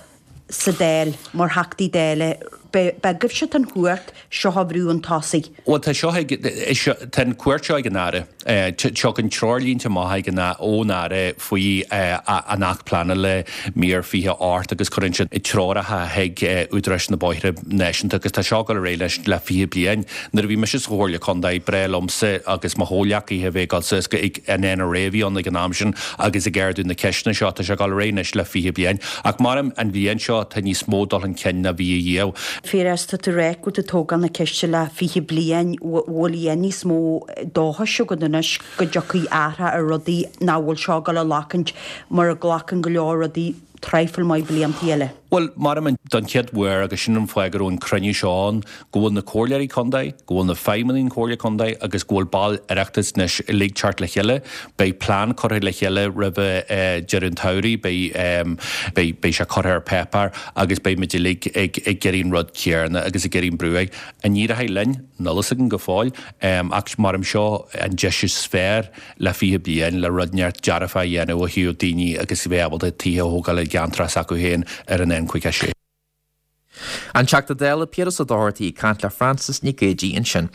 sa Dáil mar Theachtaí Dála? Beidh agaibhse an chumhacht seo a bhrú chun tosaigh. Bhuel tá seo ag, tá an chumhacht seo ag an Aire. Tagann treoirlínte amach ag an ón Aire faoi an Acht Pleanála mír fiche ocht agus cuireann siad treoracha chuig údaráis na bóithre náisiúnta agus tá seo ag dul ar aghaidh leis le fiche bliain. Nuair a bhí mise sa Chomhairle Contae, b'fhearr liomsa agus mo chomhghleacaithe a bheith ag dul suas go an NRA a bhí ann ag an am sin agus ag ardú na ceisteanna seo. Tá sé ag dul ar aghaidh anois le fiche bliain. Ach mar an bhliain seo tá níos mó dul chun cinn ná bhí riamh. Piaras, tá tú ag rá go bhfuil tú ag tógáil na ceiste le fiche bliain, bhfuil a dhath níos mó dóchais agat anois go dtiocfaidh athrach ar rudaí nach bhfuil seo ag dul a ghlacaint mar a ghlacann go leor rudaí traidhfil maith bliantaí eile? Bhuel, mar don chéad uair agus sin an fáth go raibh an cruinniú seo ann, go bhfuil na comhairleoirí contae, go bhfuil na feidhmeannaigh an Chomhairle Contae agus go bhfuil baill Oireachtais anois uilig teacht le chéile. Beidh plean curtha le chéile roimhe deireadh an tsamhraidh, beidh, beidh, beidh sé curtha ar páipéar agus beidh muid uilig ag, ag iarraidh an rud céanna agus ag iarraidh an brú air. An éireoidh linn? Níl a fhios againn go fóill, ach mar seo an deis is fearr le fiche bliain le rud inteacht dearfach a dhéanamh ó thaobh daoine agus a bheith ábalta tithe a thógáil i gceantar s'acu féin ar an N caoga sé. An Teachta Dála Piaras Ó Dochartaigh ag caint le Frances Nic Géadaigh ansin.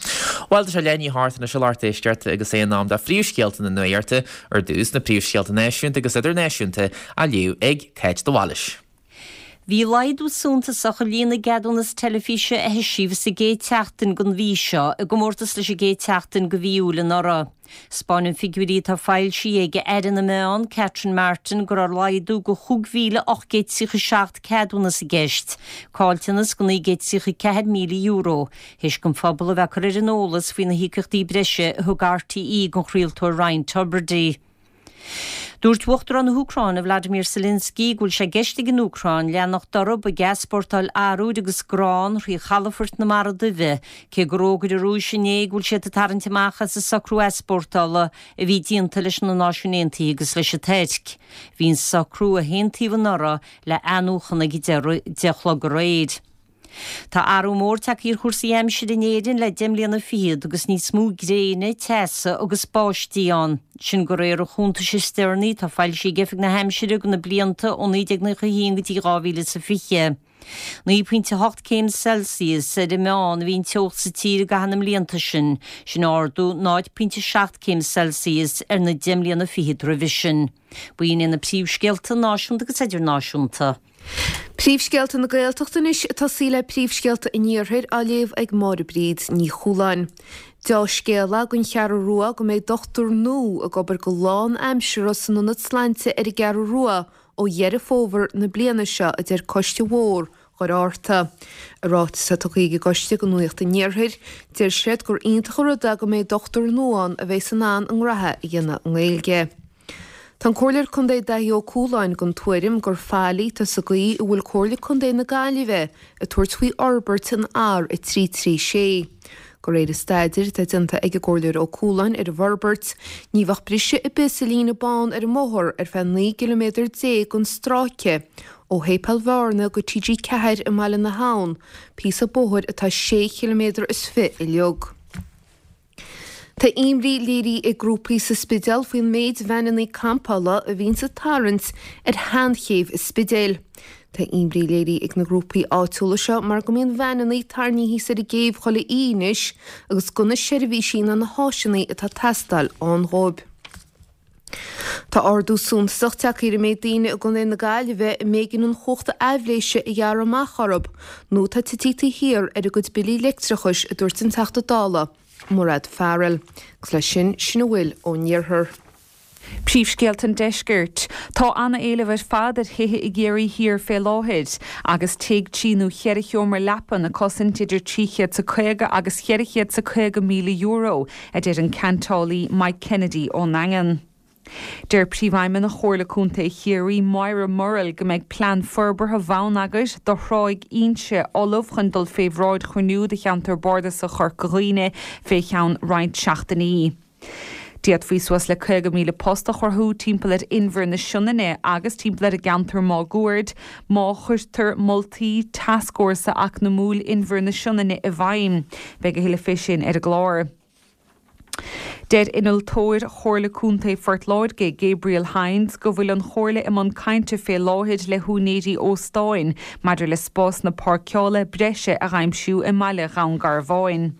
Bhuel, tá sé leath i ndiaidh a hocht anois a lucht éisteachta agus é in am do phríomhscéalta na nuachta, ar dtús na príomhscéalta náisiúnta agus idirnáisiúnta á léamh ag Cáit de Bhailís. Bhí laghdú suntasach i líon na gceadúnas teilifíse a heisíodh sa gcéad tseachtain den mhí seo i gcomórtas leis an gcéad tseachtain de mhí Iúil anuraidh. 'Spáineann figiúirí atá foilsithe ag Aire na Meán, Catherine Martin, go raibh laghdú de chúig mhíle ocht gcéad tríocha seacht ceadúnas i gceist, caillteanas de naoi gcéad tríocha ceathair míle euro, théis don phobal a bheith curtha ar an eolas faoi na híocaíochtaí breise a thug RTÉ don chraoltóir Ryan Tubridy. Dúirt Uachtarán na hÚcráine Vladimir Zelensky go bhfuil sé i gceist ag an Úcráin leanacht orthu ag easpórtáil arbhair agus grán thrí chalafoirt na Mara Duibhe, cé gur fhógair an Rúis inné go bhfuil siad ag tarraingt amach as an socrú easpórtála a bhí déanta leis na Náisiúin Aontaithe agus leis an Tuirc. Bhí an socrú a haontaíodh anuraidh le athnuachan ag deich a chlog aréir. Tá athrú mór tagtha ar chúrsaí aimsire in Éirinn le deich mbliana fichead agus níos mó gréine, teasa agus báistí ann. Sin de réir an chuntais is deireanaí atá foilsithe ag Oifig na hAimsire do na blianta ó naoi déag nócha a haon go dtí dhá mhíle is a fiche. Naoi pointe a hocht céim Celsius ar an meán a bhí an teocht sa tír i gcaitheamh na mblianta sin, sin ardú náid pointe seacht céim Celsius ar na deich mbliana fichead roimhe sin. B'in iad na príomhscéalta náisiúnta agus idirnáisiúnta. Príomhscéalta na Gaeltachta anois ag tosaí le príomhscéalta an Iarthair á léamh ag Máire Bríd Ní Chualáin. Deá-scéala don Cheathrú Rua go mbeidh dochtúir nua ag obair go lánaimseartha san ionad sláinte ar an gCeathrú Rua ó Dheireadh Fómhair na bliana seo, a deir Coiste Mhór Dhoire Fhatharta. I ráiteas atá tugtha ag an gcoiste do Nuacht an Iarthair, deir siad gur iontach an rud é go mbeidh dochtúir nua ann a bheidh in ann a ngraithe a dhéanamh i nGaeilge. Tá an Comhairleoir Contae Daithí Ó Cualáin den tuairim gur faillí atá sa gcaoi a bhfuil Comhairle Contae na Gaillimhe ag tabhairt faoi fhorbairt an R a trí trí sé. De réir an staidéir atá déanta ag an gComhairleoir Ó Cualáin ar an bhforbairt, ní bheadh briseadh ar bith sa líne bán ar an mbóthar ar feadh naoi gciliméadar déag den stráice ó Shéipéal Bhearna go T G ceathair i mBaile na hAbhann, píosa bóthair atá sé chiliméadar is fiche uilig. Tá imní léirithe ag grúpaí sa Spidéal faoin méid veaineanna campála a bhíonns ag tarraingt ar sheanchéibh an Spidéil. Tá imní léirithe ag na grúpaí áitiúla seo mar go mbíonn veaineanna tarraingthe thíos ar an gcéibh chuile oíche anois agus gan na seirbhísí ná na háiseanna atá ag teastáil ann dhóibh. Tá ardú suntasach tagtha ar an méid daoine i gContae na Gaillimhe a mb'éigean an chumhacht aibhléise a ghearradh amach orthu nó atá tite thiar ar a gcuid billí leictreachais, a dúirt an Teachta Dála, Mairéad Farrell. Agus leis sin, sin a bhfuil ón iarthar. Príomhscéalta an Deiscirt. Tá ana-éileamh ar fad ar thithe i gCiarraí Thiar fé láthair, agus tigh trí nó cheithre sheomra leapan ag cosaint idir trí chéad 's a caoga agus cheithre chéad 's a caoga míle euro, a deir an ceantálaí Mike Kennedy ón nDaingean. Deir Príomhfheidhmeannach Chomhairle Contae Chiarraí, Moira Murrell, go mbeidh plean forbartha bhonneagair do Thráigh Inse ullamh chun dul fé bhráid chruinniú de Cheantar Bardasach Chorca Dhuibhne fé cheann roinnt seachtainí. D'fhéadfaí suas le caoga míle post a chruthú timpeall ar Inbhear na Sionainne agus timpeall ar an gceantar máguaird má chuirtear moltaí Tascfhórsa Eacnamúil Inbhear na Sionainne i bhfeidhm. Beidh a thuilleadh fé sin ar an gclár. Deir Innealtóir Chomhairle Contae Phort Láirge, Gabriel Hynes, go bhfuil an Chomhairle i mbun cainte fé láthair le húinéirí óstáin maidir le spásanna páirceála breise a dh'aimsiú i mbaile Dhún Garbháin.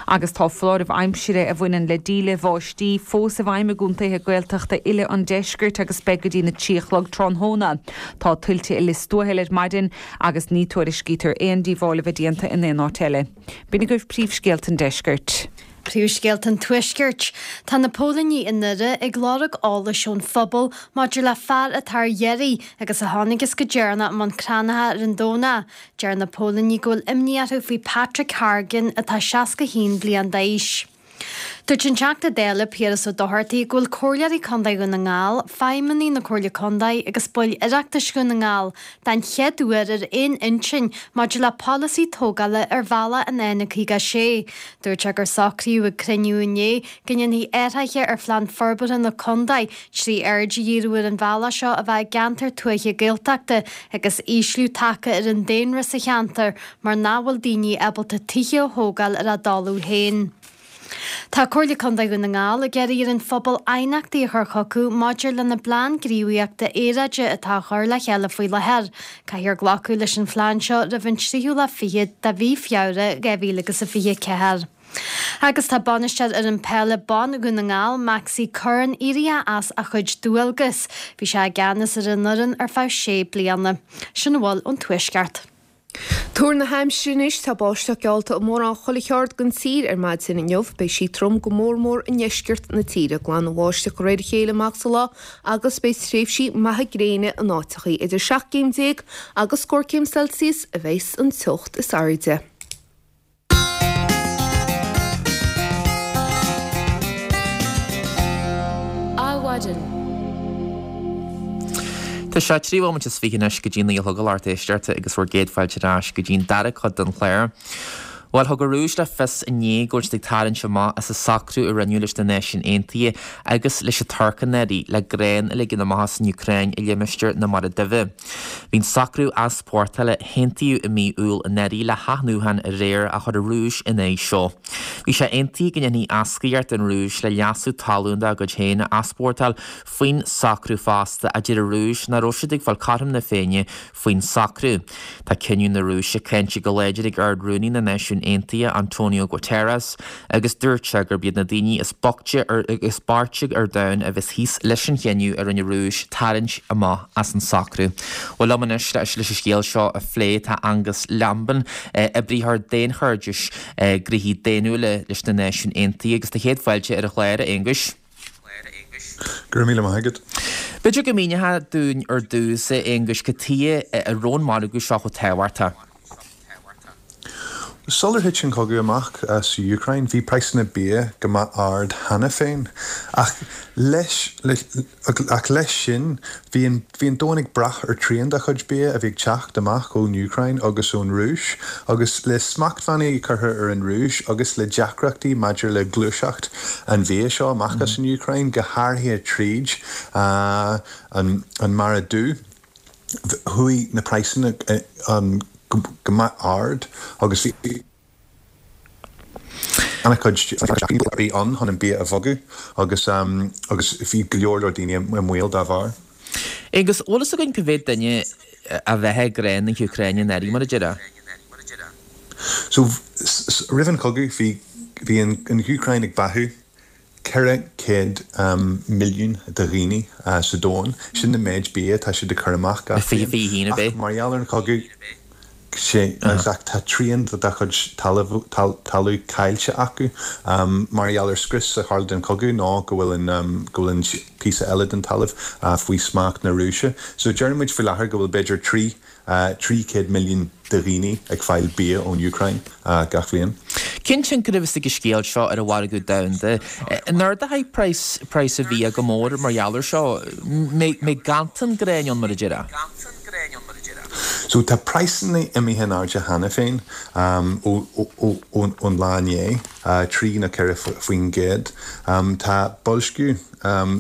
Agus tá foláireamh aimsire a bhaineann le díle bháistí fós i bhfeidhm i gcontaetha Gaeltachta uile an deiscirt agus beidh go dtína trí a chlog tráthnóna. Tá tuilte i Lios Tuathail ar maidin agus ní tuairiscítear aon díobháil a bheith déanta in aon áit eile. B'in agaibh príomhscéalta an deiscirt. Príomhscéalta an Tuaiscirt. Tá na póilíní i nDoire ag lorg eolais ón phobal maidir le fear atá ar iarraidh agus a thángthas go deireanach i mbun Cranncha ar an Domhnach. Deir na póilíní go bhfuil imní orthu faoi Patrick Hargan atá seasca haon bliain d'aois. Dúirt an Teachta Dála Piaras Ó Dochartaigh go bhfuil Comhairleoirí Contae Dhún na nGall, feidhmeannaigh na Comhairle Contae agus baill Oireachtais Dhún na nGall den chéad uair ar aon intinn maidir le polasaí tógála ar bhealach an N caoga a sé. Dúirt sé gur socraíodh ag cruinniú inné go ndéanfaí athruithe ar phlean forbartha na contae trí aird a dhíriú ar an bhealach seo a bheith i gceantar tuaithe Gaeltachta agus ísliú tagtha ar an daonra sa cheantar mar nach bhfuil daoine ábalta tithe a thógáil ar a dtalamh féin. Tá Comhairle Contae Dhún na nGall ag iarraidh ar an phobal aighneachtaí a chur chucu maidir lena bplean gníomhaíochta aeráide atá á chur le chéile faoi láthair. Caithfear glacadh leis an phlean seo roimh an tríú lá fichead de mhí Feabhra dhá mhíle agus a fiche ceathair. Agus tá bainisteoir fhoireann peile ban Dhún na nGall, Maxi Curran, éirithe as a chuid dualgas. Bhí sé i gceannas ar an fhoireann ar feadh sé bliana. Sin a bhfuil ón Tuaisceart. Tuar na haimsire anois, tá báisteach geallta i mórán chuile cheard den tír ar maidin inniu. Beidh sí trom go mór mór i ndeisceart na tíre. Glanfaidh an bháisteach de réir a chéile amach sa lá agus beidh tréimhsí maithe gréine in áiteachaí. Idir seacht gcéim déag agus scór céim Celsius a bheas an teocht is airde. Adhmhaidin. Tá sé trí bhomaite is fiche anois go dtí naoi a chlog a lucht éisteachta agus bhur gcéad fáilte ar ais go dtí an dara cuid den chlár. Bhuel, thug an Rúis le fios inné go bhfuil siad ag tarraingt amach as an socrú a rinneadh leis na Náisiúin Aontaithe agus leis an Tuirc anuraidh le grán a ligean amach as an Úcráin i limistéar na Mara Duibhe. Bhí an socrú easpórtála a haontaíodh i mí Iúil anuraidh le hathnuachan aréir ach chuir an Rúis ina aghaidh seo. Bhí sé aontaithe go ndéanfaí éascaíocht don Rúis le leasú talún dá gcuid féin a easpórtáil faoin socrú fosta ach deir an Rúis nach raibh siad ag fáil cothrom na Féinne faoin socrú. Tá cinneadh na Rúise cáinte go láidir ag Ard-Rúnaí na Náisiún Aontaithe, Antonio Guterres, agus dúirt sé gurb iad na daoine is boichte is boichte ar domhan a bheas thíos leis an chinneadh a rinne an Rúis tarraingt amach as an socrú. Bhuel liom anois leis an scéal seo a phlé tá Angus Lambin, oibritheoir daonchairdis gnoithí daonnúla leis na Náisiúin Aontaithe agus tá céad fáilte ar an chlár, a Aonghuis. Go raibh míle maith agat. B'fhéidir go míneofá dúinn ar dtús, a Aonghuis, cad chuige a raibh an margadh seo chomh tábhachtach? Sular thit an cogadh amach sa Úcráin, bhí praghsanna bia go maith ard cheana féin. Ach leis ach leis sin, bhí an bhí an domhan ag brath ar trian dá chuid bia a bhí ag teacht amach ón Úcráin agus ón Rúis. Agus le smachtbhannaí curtha ar an Rúis agus le deacrachtaí maidir le gluaiseacht an bhia seo amach as an Úcráin, go háirithe tríd an an Mara Dubh, chuaigh na praghsanna go maith ard agus bhí an-chuid deacrachtaí ann chun an bia a bhogadh agus agus bhí go leor leor daoine i mbaol dá bharr. Agus bhfuil fhios againn cá mhéad duine a bheathaigh grán na hÚcráine anuraidh, mar a déarfá? So roimh an chogadh bhí bhí an Úcráin ag beathú ceithre chéad milliún de dhaoine sa domhan, sin an méid bia atá siad ag cur amach gach bliain. Ach mar gheall ar an chogadh, sé ach tá trian dá chuid talamh caillte acu mar gheall ar scrios a tharla den chogadh nó go bhfuil an go bhfuil an píosa eile den talamh faoi smacht na Rúise. So deireann muid faoi láthair go bhfuil b'fhéidir trí trí chéad milliún de dhaoine ag fáil bia ón Úcráin gach bhliain. Cén tionchar a bheas ag an scéal seo ar an mhargadh domhanda? An ardóidh praghas praghas an bhia go mór mar gheall air seo? Mbeidh ganntan gráin ann mar a déarfá? So tá praghsanna imithe in airde cheana féin ón lá inné, trí nó ceithre faoin gcéad. Tá boilsciú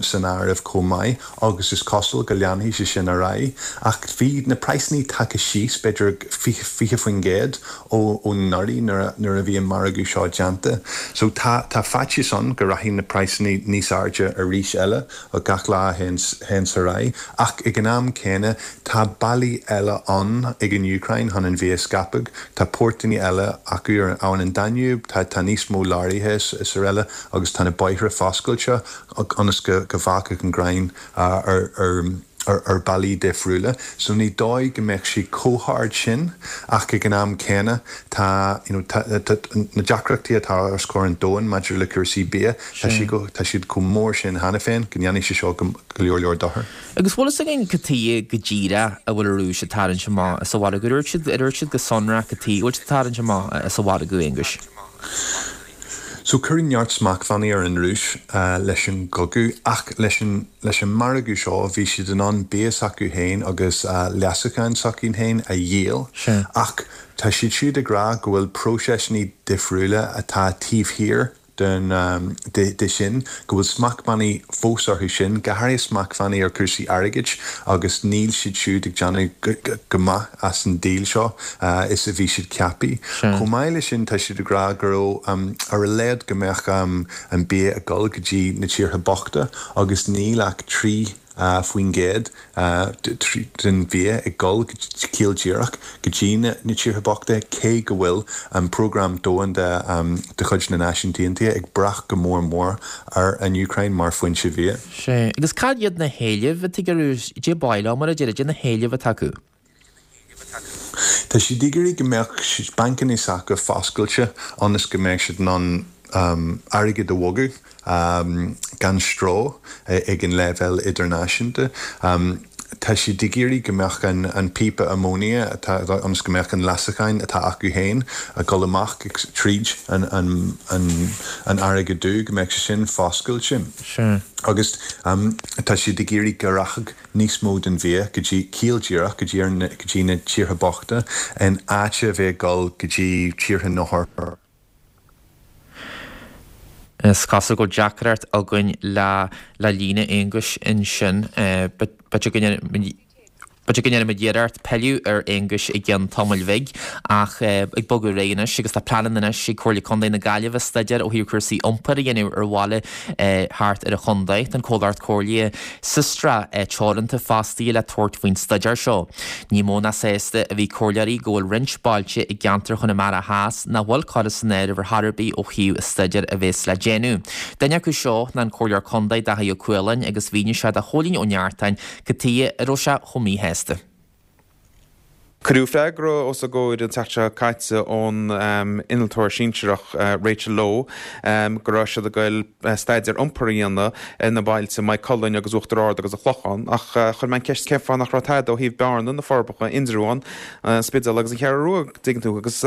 san áireamh chomh maith agus is cosúil go leanfaidh sé sin ar aghaidh. Ach bhí na praghsanna tagtha síos b'fhéidir fiche faoin gcéad ó anuraidh nuair a bhí an margadh seo déanta. So tá tá faitíos ann go rachaidh na praghsanna níos airde arís eile gach lá a théanns ar aghaidh. Ach ag an am céanna tá bealaí eile ann ag an Úcráin chun an bia a scaipeadh. Tá portanna eile acu ar abhainn an Danube, tá tá níos mó leoraithe is araile agus tá na bóithre foscailte ionas go go bhfágfadh an gráin ar ar ar bealaí difriúla. So ní dóigh go mbeadh sí chomh hard sin ach ag an am céanna tá you know tá tá na deacrachtaí atá os comhair an domhain maidir le cúrsaí bia, tá sí go tá siad chomh mór sin cheana féin go ndéanfaidh sé seo go go leor leor dochair. Agus bhfuil fhios againn cad chuige go díreach a bhfuil an Rúis ag tarraingt amach as an mhargadh? Ar dúirt siad ar dúirt siad go sonrach cad chuige a bhfuil siad ag tarraingt amach as an mhargadh, Aonghuis? So cuireadh neart smachtbhannaí ar an Rúis leis an gcogadh ach leis an leis an margadh seo bhí siad in ann bia s'acu féin agus leasacháin s'acu féin a dhíol ach tá siad siúd ag rá go bhfuil próiseasanna difriúla atá taobh thiar den de de sin, go bhfuil smachtbhannaí fós orthu sin, go háirithe smachtbhannaí ar chúrsaí airgid agus níl siad siúd ag déanamh go maith as an díol seo is a bhí siad ceaptha. Chomh maith leis sin tá siad ag rá go raibh ar a laghad go mbeadh an bia ag dul go dtí na tíortha bochta agus níl ach trí faoin gcéad den bhia ag dul ciall díreach go dtí na tíortha bochta, cé go bhfuil an Prógram Domhanda de chuid na Náisiún Aontaithe ag brath go mór mór ar an Úcráin mar foinse bhia. Sea. Agus cad iad na héilimh atá ag an Rúis? Cad é ba mhaith leo, mar a déarfá, cad é na héilimh atá acu? Tá siad ag iarraidh go mbeadh bancanna s'acu foscailte ionas go mbeadh siad in ann airgead a bhogadh gan stró ag an leibhéal idirnáisiúnta. Tá siad ag iarraidh go mbeadh an píopa amóinia atá ionas go mbeadh an leasacháin atá acu féin ag dul amach tríd an an fharraige dubh, go mbeadh sé sin foscailte. Agus tá siad ag iarraidh go rachadh níos mó den bhia go dtí, ciall díreach, go dtí go dtí na tíortha bochta in áit a bheith ag dul go dtí tíortha na Is cosúil go bhfuil deacracht againn le le líne Aonghuis ansin. B'fhéidir go ndéanfaidh B'fhéidir go ndéanfaimid iarracht pilleadh ar Aonghus i gceann tamaill bhig, ach ag bogadh ar aghaidh anois agus tá pleananna anois ag Comhairle Contae na Gaillimhe staidéar ó thaobh cúrsaí iompair a dhéanamh ar bhaile thart ar an chontae. Tá an comhlacht comhairle Systra Teoranta fostaithe le tabhairt faoin staidéar seo. Ní mó ná sásta a bhí comhairleoirí go bhfuil roinnt bailte i gceantar Chonamara Theas nach bhfuil curtha san áireamh ar chor ar bith ó thaobh an staidéir a bheas le déanamh. Duine acu seo ná an Comhairleoir Contae Dáithí Ó Cualáin agus mhínigh sé do Chóilín Ó Neartáin cad chuige a raibh sé chomh míshásta. Cuireadh freagra os a gcomhair an tseachtain seo caite ón innealtóir sinsearach Rachel Lowe go raibh siad ag goil staidéar iompair a dhéanamh ar na bailte Maigh Cuilinn agus Uachtar Ard agus an Clochán ach chuir mé an ceist cén fáth nach raibh tada ó thaobh Bearna, na Forbacha, Indreabhán, an Spidéal agus an Cheathrú Rua, dtuigeann tú agus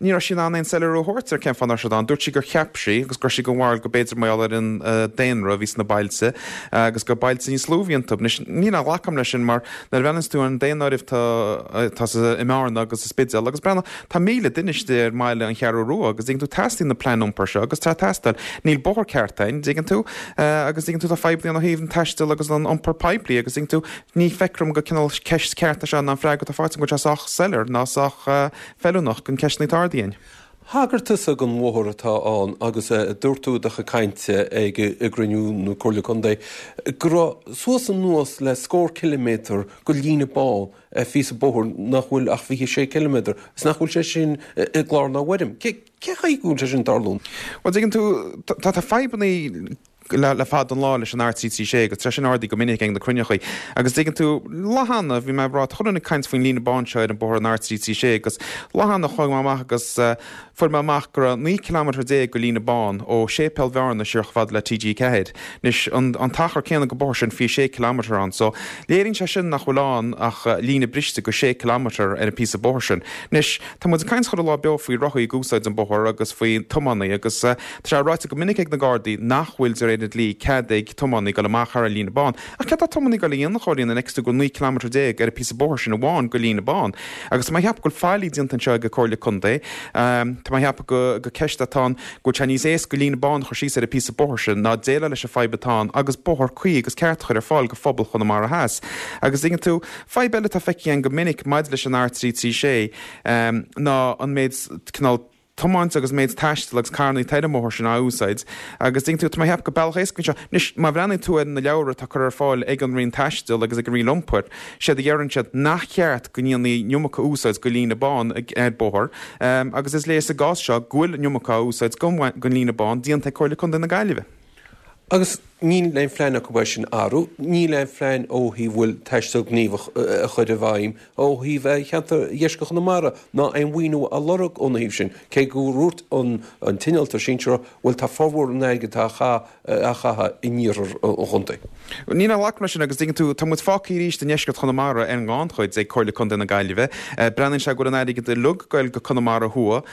ní raibh sí in ann aon soiléiriú a thabhairt ar cén fáth nach raibh siad ann. Dúirt sí gur cheap sí agus go raibh sí den bharúil go b'fhéidir mar gheall ar an daonra a bhí sna bailte agus gur bailte níos lú a bhí iontu. Anois ní ghlacaim leis sin mar nuair a bhreathnaíonns tú ar an daonáireamh tá i mBearna agus sa Spidéal agus breathnaigh, tá míle duine istigh ar mbaile an Cheathrú Rua agus dtuigeann tú teastaíonn na plean iompair seo agus tá teastáil. Níl bóthar ceart ann, dtuigeann tú, agus dtuigeann tú tá fadhbanna ann ó thaobh an taistil agus an iompar poiblí agus dtuigeann tú ní feictear dom gur cineál ceist ceart é seo ná an freagra atá faighte go bhfuil sé sách soiléir ná sách feiliúnach don ceisteanna atá ardaithe againn. Thagair tusa don bhóthar atá ann agus dúirt tú i do chuid cainte ag i gcruinniú na Comhairle Contae go raibh suas anuas le scór ciliméadar de líne bán, phíosa bóthair nach bhfuil ach fiche sé ciliméadar is nach bhfuil sé sin i gclár ná i bhfoirm. Cé chaoi go bhfuil sé sin ag tarlú? Bhuel, tuigeann tú, tá fadhbanna le fada an lá leis an R trí trí sé agus tá sé sin ardaithe go minic ag na cruinneachaí. Agus tuigeann tú, lá cheana, bhí mé ag rá, tá chuile dhuine ag caint faoin líne bán seo ar an bóthar an R trí trí sé agus lá cheana chuaigh mé amach agus fuair mé amach go raibh naoi ciliméadar déag go líne bán ó Séipéal Bhearna siar chomh fada le T G ceathair. Anois, an an t-achar céanna go bóthar sin fiche sé ciliméadar ann. So, léiríonn sé sin nach bhfuil ann ach líne briste go sé ciliméadar ar an píosa bóthair sin. Anois, tá muid ag caint chuile lá beo faoi rothaí ag úsáid an bóthar agus faoi tiománaí agus tá sé ráite go minic ag na Gardaí nach bhfuil de réir an dlí cead ag tiománaí dul amach thar an líne bán. Ach céard tá tiománaí ag dul a dhéanamh, a Chóilín, an bhfeiceann tú go bhfuil naoi ciliméadar déag ar an píosa bóthair sin amháin go líne bán? Agus tá mé ag ceapadh go bhfuil faillí déanta anseo ag an Comhairle Contae. Tá mé ag ceapadh go go ceist atá ann go bhfuil sé níos éasca líne bán a chur síos ar an píosa bóthair sin ná déileáil leis an fadhb atá ann agus bóthar cuí agus ceart a chur ar fáil go phobal Chonamara Theas. Agus tuigeann tú, fadhb eile atá feicthe againn go minic maidir leis an R trí trí sé ná an méid cineál tiomáint agus méid taistil agus carrannaí atá ar an mbóthar sin á úsáid agus tuigeann tú, tá mé ag ceapadh gur bealach éasca anseo. Anois, má bhreathnaíonn tú ar na leabhra atá curtha ar fáil ag an Roinn Taistil agus ag an Roinn Iompair, séard a dheireann siad nach ceart go ndéanfaí an iomarca úsáid go líne bán ar bóthar agus is léir sa gcás seo go bhfuil an iomarca á úsáid gon líne bán déanta ag Comhairle Contae na Gaillimhe. Agus níl aon phlean acu é sin a athrú, níl aon phlean ó thaobh bhfuil taisteal gníomhach a chur i bhfeidhm ó thaobh cheantar dheisceart Chonamara ná aon mhaoiniú a lorg óna thaobh sin, cé go ndúirt an t-innealtóir sinsearach bhuel tá formhór an airgid atá á chaitheamh in iarthar an chontae. Níl aon ghlacadh leis sin agus tuigeann tú, tá muid fágtha arís i ndeisceart Chonamara ar an ngannchuid ag Comhairle Contae na Gaillimhe. Breathnaíonn sé go bhfuil an airgead uilig ag goil go Conamara Thuaidh,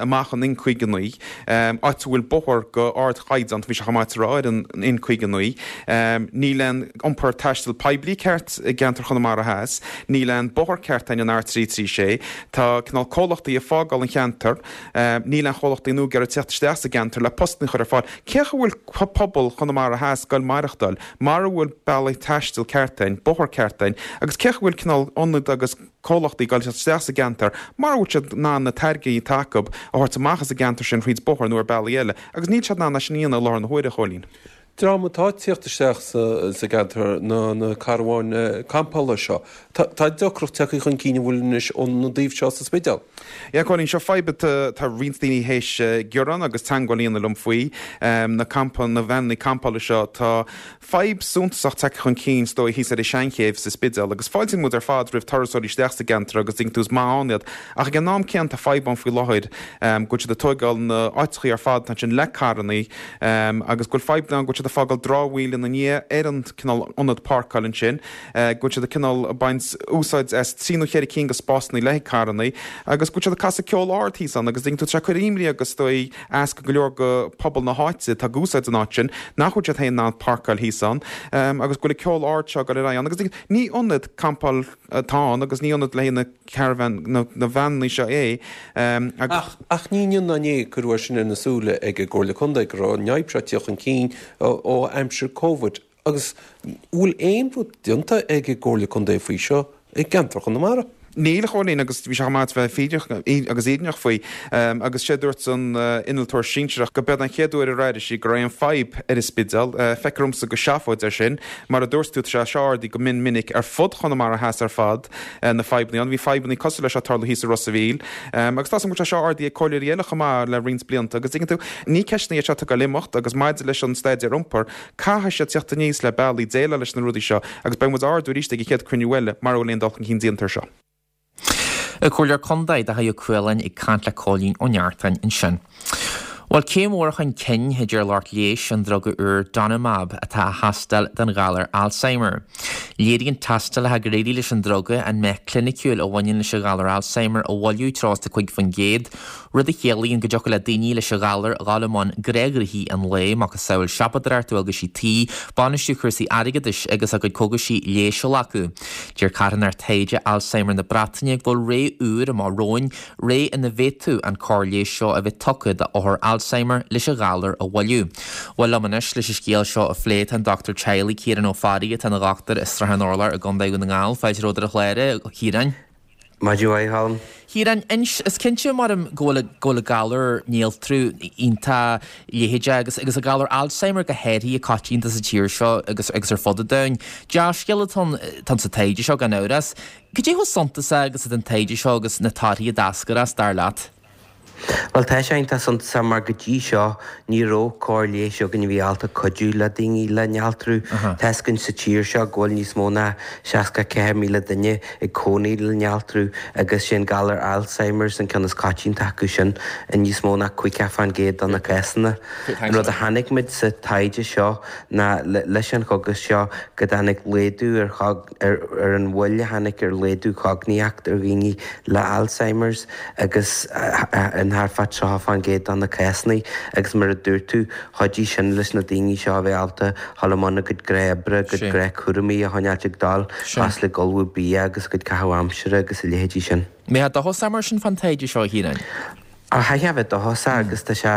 amach an N caoga naoi, áit a bhfuil bóthar go ardchaighdeán, bhí sé chomh maith a rá, ar an N caoga naoi. Níl aon iompar taistil poiblí ceart i gceantar Chonamara Theas, níl aon bóthar ceart againn an R trí trí sé, tá cineál comhlachtaí ag fágáil an cheantair, níl aon chomhlachtaí nua ag iarraidh teacht isteach sa gceantar le postanna a chur ar fáil. Cé chaoi a bhfuil pobal Chonamara Theas ag goil maireachtáil mara bhfuil bealaí taistil ceart againn, bóthar ceart againn agus cé chaoi a bhfuil cineál ionad agus comhlachtaí ag goil teacht isteach sa gceantar mara bhfuil siad in ann na táirgí atá acu a thabhairt amach as an gceantar sin thríd bóthar nó ar bealaí eile agus níl siad in ann é sin a dhéanamh i láthair na huaire, a Chóilín. Dream atá ag tíocht isteach sa gceantar ná na carbháin campála seo. Tá deacracht tagtha chun cinn an bhfuil anois ón dtaobh seo sa Spidéal. Yeah, Cóilín, seo fadhb atá roinnt daoine théis gearán agus teagmháil a dhéanamh liom faoi, na campa, na veaineanna campála seo. Tá fadhb suntasach tagtha chun cinn is dóigh thíos ar an Seanchéibh sa Spidéal agus fáiltíonn muid ar fad roimh turasóirí isteach sa gceantar agus tuigeann tú is maith ann iad ach ag an am céanna tá fadhb ann faoi láthair go bhfuil siad ag tóigeáil na áiteachaí ar fad atá ansin le carrannaí agus go bhfuil fadhb ann go bhfuil siad ag fágáil dramhaíl ina ndiaidh ar an cineál ionad páirceáil ansin, go bhfuil siad ag cineál ag baint úsáid as trí nó cheithre cinn de spásanna le haghaidh carrannaí agus go bhfuil siad ag casadh ceol ard thíos ann agus tuigeann tú tá sé ag cur imní agus is dóigh as go leor go pobal na háite atá ag úsáid an áit sin nach bhfuil siad féin in ann páirceáil thíos ann agus go bhfuil an ceol ard seo ag dul ar aghaidh ann agus ní ionad campáil atá ann agus ní ionad le haghaidh na caravan na na veaineanna seo é agus. Ach ach ní inniu ná inné a cuireadh é sin ar na súile ag an gComhairle Contae go raibh an fhadhb seo ag tíocht chun cinn ó aimsir Covid agus bhfuil aon rud déanta ag an gComhairle Contae faoi seo i gceantar Chonamara? Níl, a Chóilín, agus bhí sé chomh maith a bheith fírinneach agus fhírinneach faoi. Agus sé dúirt an innealtóir sinsearach go b'eod an chéad uair ar airigh sí go raibh aon fadhb ar an Spidéal. Feictear dhomsa gur seafóid é sin. Mar a dúirt tú, tá sé seo ardaithe go mion minic ar fud Chonamara Theas ar fad, na fadhbanna ann. Bhí fadhbanna cosúil leis seo ag tarlú thíos i Ros a' Mhíl. Agus tá 's agam go bhfuil sé seo ardaithe ag comhairleoirí eile chomh maith le roinnt blianta. Agus tuigeann tú, ní ceisteanna iad seo atá ag dul imeacht agus maidir leis an staidéar iompair, caithfidh siad teacht aníos le bealaí déileáil leis na rudaí seo agus beidh muid á ardú arís ag an chéad cruinniú eile mara bhfuil aon dul chun cinn déanta ar seo. An Comhairleoir Contae Dáithí Ó Cualáin ag caint le Cóilín Ó Neachtain ansin. Bhuel, céim mhór chun cinn, a deir lucht leighis an druga úr Donanemab atá á thástáil don ghalar Alzheimer. Léiríonn tástálacha gur éirigh leis an druga an meath cliniciúil a bhaineann leis an ghalar Alzheimer a mhoilliú treo is a cúig faoin gcéad, rud a chiallaíonn go dtiocfadh le daoine leis an ghalar a dhul i mbun gnáthghnoithí an lae, macasamhail siopadóireacht, dualgaisí tí, bainistiú cúrsaí airgeadais agus a gcuid cógaisí leighis a ghlacadh. Deir carthanacht taighde Alzheimer na Breataine go bhfuil ré úr amach romhainn, ré ina bhféadfadh an cóir leighis seo a bheith tugtha d'othair Alzheimer leis an ghalar a mhoilliú. Bhuel liom anois leis an scéal seo a phlé tá an dochtúir teaghlaigh Ciarán Ó Fearraigh atá ina dhochtúir i Srath an Urláir i gContae Dhún na nGall. Fáilte romhat ar an chlár, a Chiaráin. Maidin mhaith, a Cholm. Chiaráin, inis, is cinnte maram go bhfuil go bhfuil an galar néaltrú iontach leitheadach agus agus an galar Alzheimer go háirithe coitianta sa tír seo agus agus ar fud an domhain. Dea-scéal atá ann sa taighde seo gan amhras. Cad é chomh suntasach agus atá an taighde seo agus na torthaí a d'eascair as, dar leat? Bhuel, tá sé iontach suntasach mar go dtí seo ní raibh cóir leighis againn a bhí ábalta cuidiú le daoine le néaltrú. Tá fhios againn sa tír seo go bhfuil níos mó ná seasca ceathair míle duine ag cónaí le néaltrú agus sé an galar Alzheimer's an ceann is coitianta acu sin i níos mó ná caoga fán gcéad de na cásanna. An rud a chonaic muid sa taighde seo ná leis an chógas seo go dtáinig laghdú ar ar an mhoill a tháinig ar laghdú cognaíocht ar dhaoine le Alzheimer's agus in thart fá tríocha fán gcéad de na cásanna agus mar a dúirt tú, chuidigh sin leis na daoine seo a bheith ábalta dhul i mbun a gcuid gnáthoibre, a gcuid gnáthchúraimí a choinneáilt ag dul, cosúil le ullmhú bia agus a gcuid caitheamh aimsire agus a leithéidí sin. Mbeifeá dóchasach mar sin fán taighde seo, a Chiaráin? Chaithfeá a bheith dóchasach agus tá sé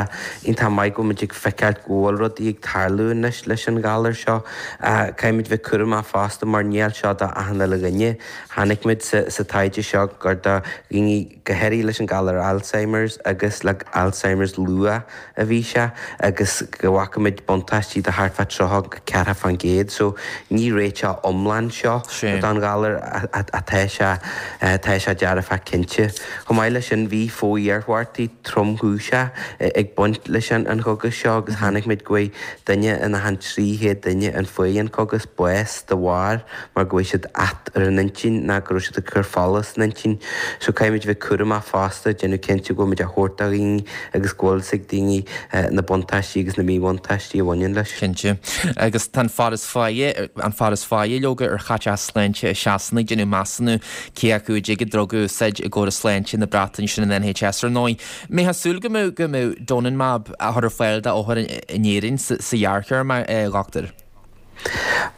iontach maith go bhfuil muid ag feiceáil go bhfuil rudaí ag tarlú anois leis an ghalar seo. Caithfidh muid bheith cúramach fosta mar níl seo do achan uile dhuine. Chonaic muid sa taighde seo gur do dhaoine go háirithe leis an galar Alzheimer's agus le Alzheimer's luath a bhí sé agus go bhfaca muid buntáistí de thart fá tríocha go ceathracha fán gcéad. So ní réiteach iomlán seo don ghalar atá sé tá sé dearfach cinnte. Chomh maith leis sin bhí fo-iarmhairtí tromchúiseach ag baint leis an chógas seo agus chonaic muid go bhfuair duine in achan trí chéad duine a fuair an cógas bás de bharr mar go bhfuair siad at ar an intinn ná go raibh siad ag cur fola san intinn. So caithfidh muid bheith cúramach fosta, déanamh cinnte go bhfuil muid á thabhairt do dhaoine agus go bhfuil fhios ag daoine na buntáistí agus na míbhuntáistí a bhaineann leis. Cinnte. Agus tá an fear is faide, an fear is faide leoga ar chaiteachas sláinte i Sasana ag déanamh measúnú cé acu a dtig an druga a úsáid i gcóras sláinte na Breataine sin an N H S ar ndóigh. Mbeifeá ag súil go mbeadh go mbeadh Donanemab á chur ar fáil d'othair in Éirinn sa ghearrthéarma, a dhochtúir?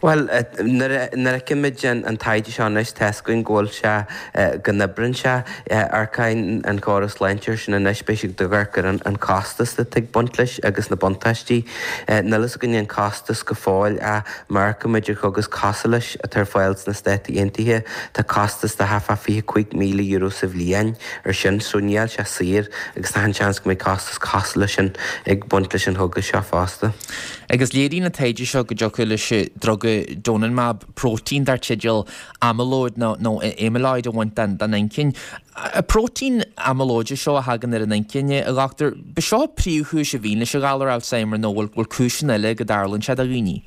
Bhuel, nuair a fheiceann muid an taighde seo anois, tá fhios againn go bhfuil sé, go n-oibreann sé. Amharcann an córas sláinte air sin anois, beidh siad ag amharc ar an costas atá ag baint leis agus na buntáistí. Níl fhios againn an costas go fóill ach má amharcann muid ar chógas cosúil leis atá ar fáil sna Stáit Aontaithe, tá costas de thart fá fiche cúig míle euro sa bhliain ar sin, so níl sé saor agus tá an seans go mbeidh costas cosúil leis sin ag baint leis an chógas seo fosta. Agus léiríonn an taighde seo go dtiocfadh leis an druga Donanemab próitéin dar teideal amyloid nó nó amyloid a bhaint den den inchinn. An próitéin amyloid seo a thagann ar an inchinn, a dhochtúir, ba seo príomhchúis a bhíonn leis an ghalar Alzheimer nó bhfuil bhfuil cúiseanna eile go dtarlaíonn sé do dhaoine?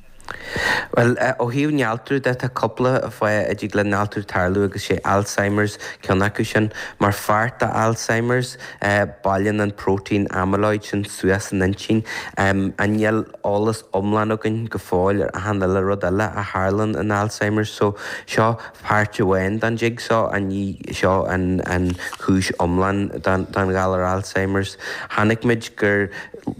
Bhuel, ó thaobh néaltrú de, tá cúpla fáth a dtig le néaltrú tarlú agus sé Alzheimer's ceann acu sin. Mar pháirt de Alzheimer's, bailíonn an próitéin amyloid sin suas san intinn. Níl eolas iomlán againn go fóill ar achan uile rud eile a tharlann in Alzheimer's so seo páirt amháin den jigsaw ach ní seo an an chúis iomlán don don ghalar Alzheimer's. Chonaic muid gur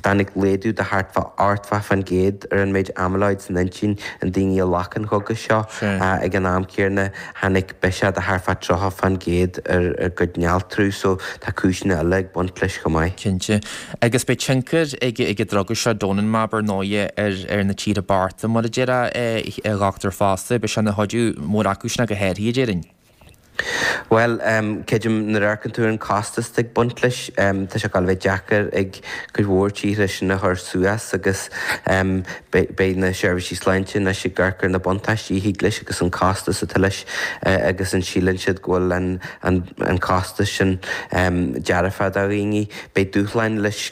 tháinig laghdú de thart fá ochtó fán gcéad ar an méid amyloid san intinn in daoine a ghlac an chógas seo. Ag an am céanna tháinig biseach de thart fá tríocha fán gcéad ar a gcuid néaltrú so tá cúiseanna eile ag baint leis chomh maith. Cinnte. Agus beidh tionchar ag ag an druga seo Donanemab ar ndóighe ar ar na tíortha bochta mar a déarfá a dhochtúir fosta, beidh sé ina chuidiú mór acu sin go háirithe a déarfainn. Bhuel, creidim nuair a amharcann tú ar an costas atá ag baint leis, tá sé ag gabháil a bheith deacair ag cuid mhór tíortha sin a chur suas agus beidh na seirbhísí sláinte anois ag amharc ar na buntáistí a thig leis agus an costas atá leis agus an síleann siad go bhfuil an costas sin dearfach do dhaoine. Beidh dúshláin leis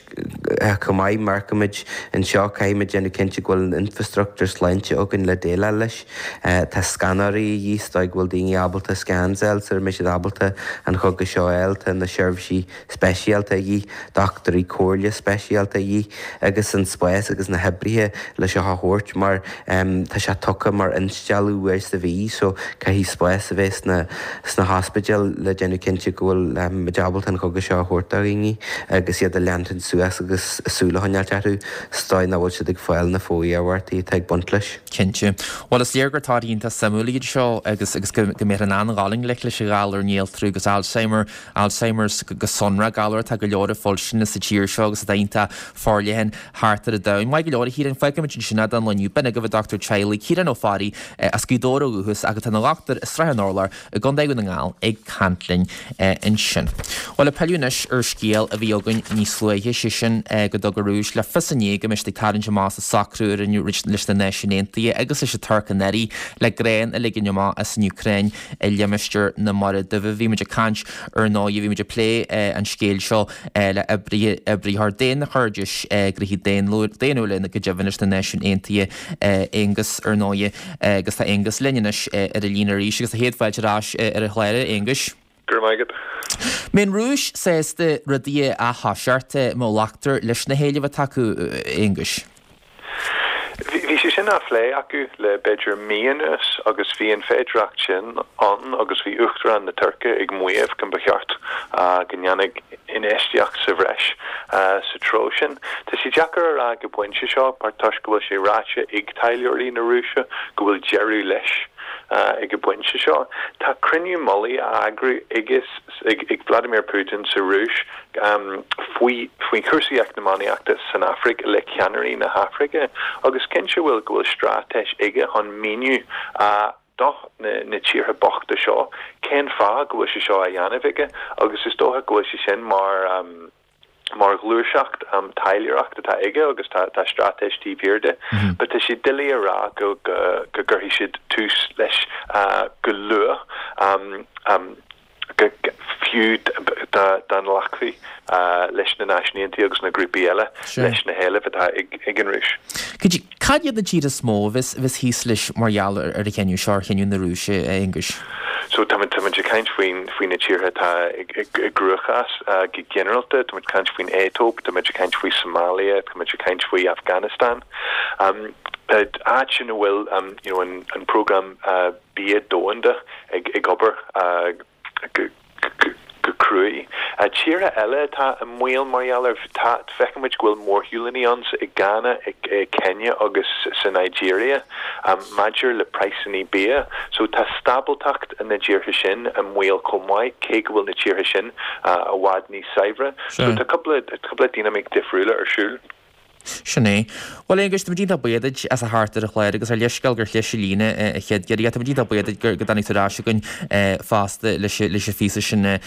chomh maith, má amharcaimid anseo, caithfimid déanamh cinnte go bhfuil an infrastruchtúr sláinte againn le déileáil leis. Tá scanóirí a dhíth, is dóigh go bhfuil daoine ábalta scans a fháil sara mbeidh siad ábalta an chógas seo a fháil, tá na seirbhísí speisialta a dhíth, dochtúirí comhairle speisialta a dhíth agus an spás agus na hoibrithe le seo a thabhairt mar tá sé tugtha mar instealladh uair sa mhí so caithfidh spás a bheith sna sna hospidéil le déanamh cinnte go bhfuil muid ábalta an chógas seo a thabhairt do dhaoine agus iad a leantaint suas agus súil a choinneáilt orthu sa dóigh nach bhfuil siad ag fáil na fo-iarmhairtí atá ag baint leis. Cinnte. Bhuel is léir gur torthaí iontach suimiúil iad seo agus agus go go mbeifear in ann dul i ngleic leis an ghalar néaltrú agus Alzheimer, Alzheimer's go sonrach, galar atá go leor fuilsine sa tír seo agus atá iontach forleathan thart ar an domhan. Maith go leor a Chiaráin, fágfaimid ansin é don lá inniu. B'in agaibh an dochtúir teaghlaigh Ciarán Ó Fearraigh as Gaoth Dobhair ó dhúchas ach atá ina dhochtúir i Srath an Urláir i gContae Dhún na nGall ag caint linn ansin. Bhuel, ag pilleadh anois ar scéal a bhí againn níos luaithe, sé sin go dtug an Rúis le fios inné go mbeidh siad ag tarraingt amach as an socrú a rinneadh leis na Náisiúin Aontaithe agus leis an Tuirc anuraidh le grán a ligean amach as an Úcráin i limistéar limistéar na Mara Duibhe. Bhí muid ag caint ar ndóigh, bhí muid ag plé an scéil seo le oibritheoir daonchairdis, gnóthaí daonnúla go deimhin leis na Náisiúin Aontaithe, Aonghus ar ndóigh, agus tá Aonghus linn anois ar an líne arís agus céad fáilte ar ais ar an chlár, a Aonghuis. Go raibh maith agat. Mbeidh an Rúis sásta rudaí a thoiseacht má ghlactar leis na héilimh atá acu, a Aonghuis? Bhí sé sin á phlé acu le b'fhéidir mí anuas agus bhí an féidireacht sin ann agus bhí Uachtarán na Tuirce ag maíomh go mba cheart go ndéanfadh infheistíocht sa bhreis sa treo sin. Tá sé deacair a rá ag an bpointe seo mar toisc go bhfuil sé ráite ag taidhleoirí na Rúise go bhfuil deireadh leis ag an bpointe seo. Tá cruinniú mullaigh á eagrú ag Vladimir Putin sa Rúis faoi faoi chúrsaí eacnamaíochta san Afraic le ceannairí na hAfraice agus cinnte bhfuil go bhfuil straitéis aige chun míniú do na tíortha bochta seo cén fáth go bhfuil sé seo á dhéanamh aige agus is dócha go bhfuil sé sin mar mar ghluaiseacht taidhleoireacht atá aige agus tá tá straitéis taobh thiar de. But tá sé doiligh a rá go go go gcuirfidh siad tús leis go luath go fiú dá dá nglacfaí leis na Náisiúin Aontaithe agus na grúpaí eile leis na héilimh atá ag ag an Rúis. Cad iad na tíortha is mó a bheas a bheas thíos leis mar gheall ar an chinneadh seo, ar chinneadh na Rúise, a Aonghuis? So tá muid ag caint faoin faoi na tíortha atá i gcruachás go ginearálta, tá muid ag caint faoin Aetóip, tá muid ag caint faoi Somalia, tá muid ag caint faoi Afghanistan. Áit ina bhfuil you know an an prógram bia domhanda ag ag obair go go cruaidh. Tíortha eile atá i mbaol mar gheall air, tá, feiceann muid go bhfuil mórshiúlanna ann i Ghana, i Kenya agus sa Nigeria maidir le praghsanna bia. So tá stábaltacht na dtíortha sin i mbaol chomh maith, cé go bhfuil na tíortha sin i bhfad níos saibhre. So tá cúpla, cúpla dinimic difriúla ar siúl. Sin é. Bhuel, a Aonghuis, tá muid iontach buíoch duit as a theacht ar an chlár agus ár leithscéal gur chlis an líne an chéad iarraidh. Tá muid iontach buíoch duit go dtáinig tú ar ais chugainn fosta leis an phíosa sin a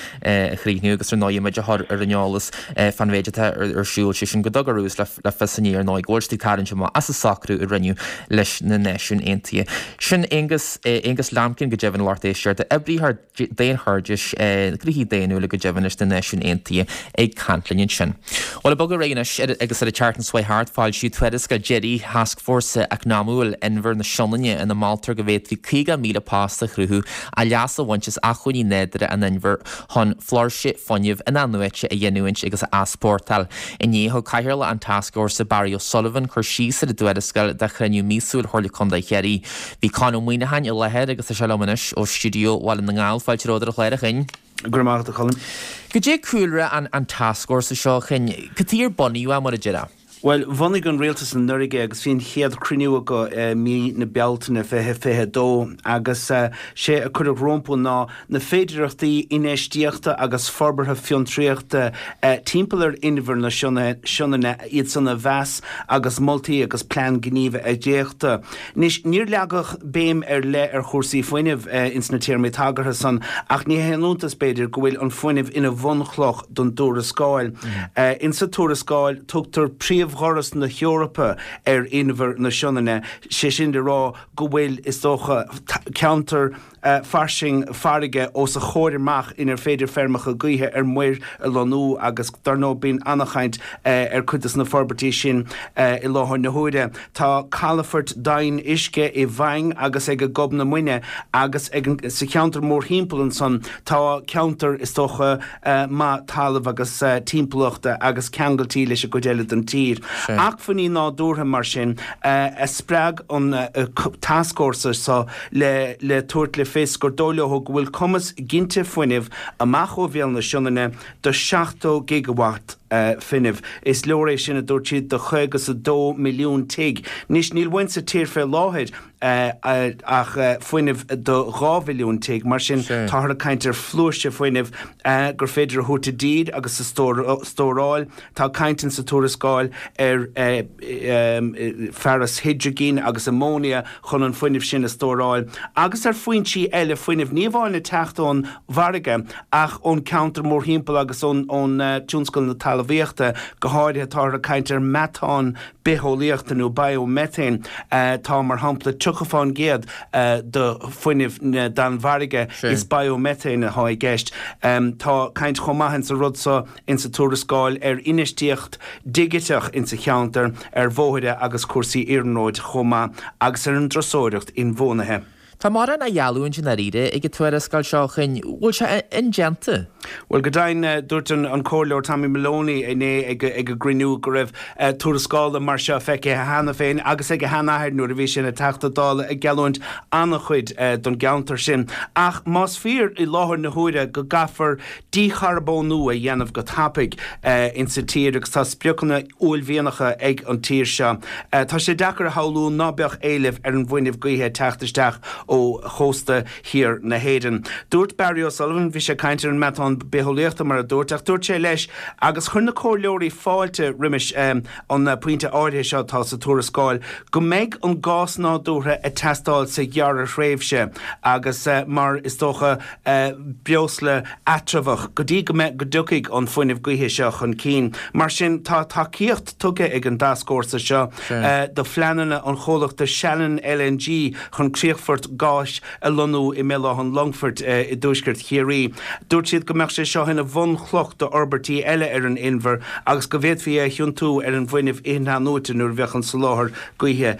chríochnú agus ar ndóigh muid a chur ar an eolas fán mhéid atá ar siúl, sé sin go dtug an Rúis le fios inné ar ndóigh go bhfuil siad ag tarraingt amach as an socrú a rinneadh leis na Náisiúin Aontaithe. Sin Aonghus, Aonghus Lambkin go deimhin a lucht éisteachta, oibritheoir daonchairdis, gnóthaí daonnúla go deimhin leis na Náisiúin Aontaithe ag caint linn ansin. Bhuel, ag bogadh ar aghaidh anois agus ar an tseachtain seo thart, foilsíodh tuarascáil deiridh Thascfhórsa Eacnamúil Inbhear na Sionainne ina moltar go bhféadfaí caoga míle post a chruthú as leas a bhaint as acmhainní nádúrtha an inbhir chun flúirse fuinnimh in-athnuaite a ghiniúint agus a easpórtáil. Inné, thug Cathaoirleach an Tascfhórsa, Barry O'Sullivan, cur síos ar an dtuarascáil do chruinniú míosúil Chomhairle Contae Chiarraí. Bhí Con Ó Muíneacháin i láthair agus tá sé liom anois ó stiúideo Bhaile na nGall. Fáilte romhat ar an chlár, a Choinn. Go raibh maith agat, a Cholm. Goidé cúlra an an tascfhórsa seo, a Choinn? Cad chuige ar bunaíodh é, mar a déarfá? Bhuel, bhunaigh an rialtas anuraidh é agus bhí an chéad chruinniú acu i mí na Bealtaine fiche fiche a dó agus sé a cuireadh rompu ná na féidearthachtaí infheistíochta agus forbartha fiontraíochta timpeall ar Inbhear na Sionainne, iad san a mheas agus moltaí agus plean gnímh a dhréachtadh. Anois, níor leagadh béim ar leith ar chúrsaí fuinnimh ins na téarmaí tagartha san ach ní haon iontas, b'fhéidir, go bhfuil an fuinneamh ina bhunchloch don dtuarascáil. Insa tuarascáil, tugtar príomhdhoras na hEorpa ar Inbhear na Sionainne, sé sin le rá go bhfuil, is dócha, ceantar fairsing farraige os a chomhair amach inar féidir feirmeacha gaoithe ar muir a lonnú agus dar ndóigh bíonn an-chaint ar cuid de na forbairtí sin i láthair na huaire. Tá calafort domhain uisce i bhFaing agus ag Gob na Muine agus ag an sa cheantar mórthimpeall ansan tá ceantar is dócha maith talaimh agus timpeallachta agus ceangailtí leis an gcuid eile den tír. Acmhainní nádúrtha mar sin a spreag an tascfhórsa seo le le tabhairt le fios gur dóigh leo go bhfuil cumas ginte fuinnimh amach ó bhéal na Sionainne do seachtó gigawatt fuinnimh. Is leor é sin, a dúirt siad, do chaoga is a dó milliún tigh. Anois, níl uainn sa tír fé láthair ach fuinneamh do dhá mhilliún tigh, mar sin táthar ag caint ar flúirse fuinnimh gur féidir a thabhairt i dtír agus a stóráil. Tá caint insa tuarascáil ar fearas hidrigine agus amóinia chun an fuinneamh sin a stóráil agus ar foinsí eile fuinnimh, ní amháin ag teacht ón bhfarraige ach ón ceantar mórthimpeall agus ón tionscal na talmhaíochta. talmhaíochta, go háirithe táthar ag caint ar meatán bitheolaíochta nó biomethane. Tá, mar shampla, tríocha fán gcéad de fuinneamh na Danmhairge, is biomethane atá i gceist. Tá caint chomh maith insa rud so insa tuarascáil ar infheistíocht dhigiteach insa cheantar, ar bhóithre agus cúrsaí iarnróid chomh maith agus ar an dturasóireacht inbhuanaithe. Tá mórán á gheallúint i ndáiríre ag an tuarascáil seo, a Choinn. Bhfuil sé indéanta? Bhuel, go deimhin, dúirt an Comhairleoir Tommy Maloney inné ag an gcruinniú go raibh tuarascála mar seo feicthe cheana féin agus ag a sheanathair nuair a bhí sé ina Theachta Dála ag geallúint an-chuid don gceantar sin. Ach más fíor i láthair na huaire go gcaithfear dícharbónú a dhéanamh go tapaidh insa tír agus tá spriocanna uaillmhianacha ag an tír seo, tá sé deacair a shamhlú ná beadh éileamh ar an bhfuinneamh gaoithe ag teacht isteach ó chósta thiar na hÉireann. Dúirt Barry O'Sullivan, bhí sé ag caint ar an meatán bitheolaíochta mar a dúirt, ach dúirt sé leis, agus chuir na comhairleoirí fáilte roimis an pointe áirithe seo atá sa tuarascáil, go mbeidh an gás nádúrtha ag teastáil sa ghearrthréimhse agus mar, is dócha, breosla eatramhach go dtí go mbeidh, go dtiocfaidh an fuinneamh gaoithe seo chun cinn. Mar sin, tá tacaíocht tugtha ag an dtascfhórsa seo do phleananna an chomhlachta Shannon LNG chun críochfort gáis a lonnú i mBéal Átha an Longfoirt i dtuaisceart Chiarraí. Dúirt siad go mbeadh sé seo ina bhunchloch d'fhorbairtí eile ar an inbhear agus go bhféadfaí é a thiontú ar an bhfuinneamh in-athnuaite nuair a bheadh an soláthar gaoithe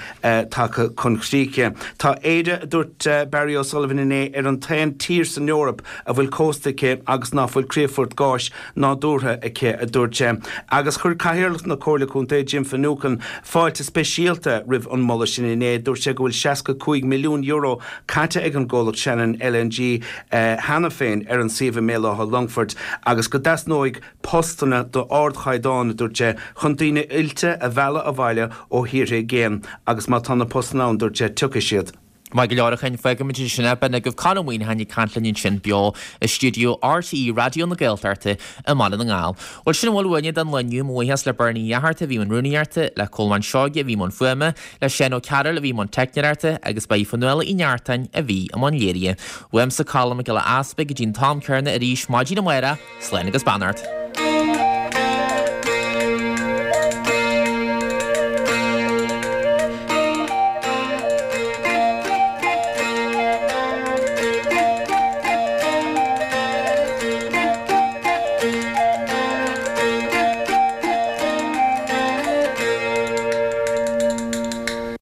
tagtha chun críche. Tá Éire, a dúirt Barry O'Sullivan inné, ar an t-aon tír san Eoraip a bhfuil cósta aici agus ná fuil críochfort gáis nádúrtha aici, a dúirt sé. Agus chuir Cathaoirleach na Comhairle Contae, Jim Finucane, fáilte speisialta roimh an moladh sin inné. Dúirt sé go bhfuil seasca cúig milliún euro caite ag an gcomhlacht Shannon LNG cheana féin ar an suíomh i mBéal Átha Longfoirt agus go dteasnóidh postanna d'ardchaighdeán, a dúirt sé, chun daoine oilte a mhealladh abhaile ó thíortha i gcéin agus má tá na postanna ann, dúirt sé, tiocfaidh siad. Maith go leor a Choinn, fágfaimid ansin é. B'in agaibh Conn Ó Muíneacháin ag caint linn ansin beo i stiúideo RTÉ Raidió na Gaeltachta i mBaile na nGall. Bhuel sin a bhfuil uainne don lá inniu. Mo bhuíochas le Bernie Uí Fhatharta a bhí i mbun rúnaíochta, le Colmán Seoige a bhí i mbun fuaime, le Seán Ó Cearúil a bhí i mbun teicneoireachta agus ba í Fionnuala Uí Neartáin a bhí i mbun léirithe. Uaimse Colm Mac Giolla Easpaig go dtí an t-am céanna arís maidin amárach, slán agus beannacht.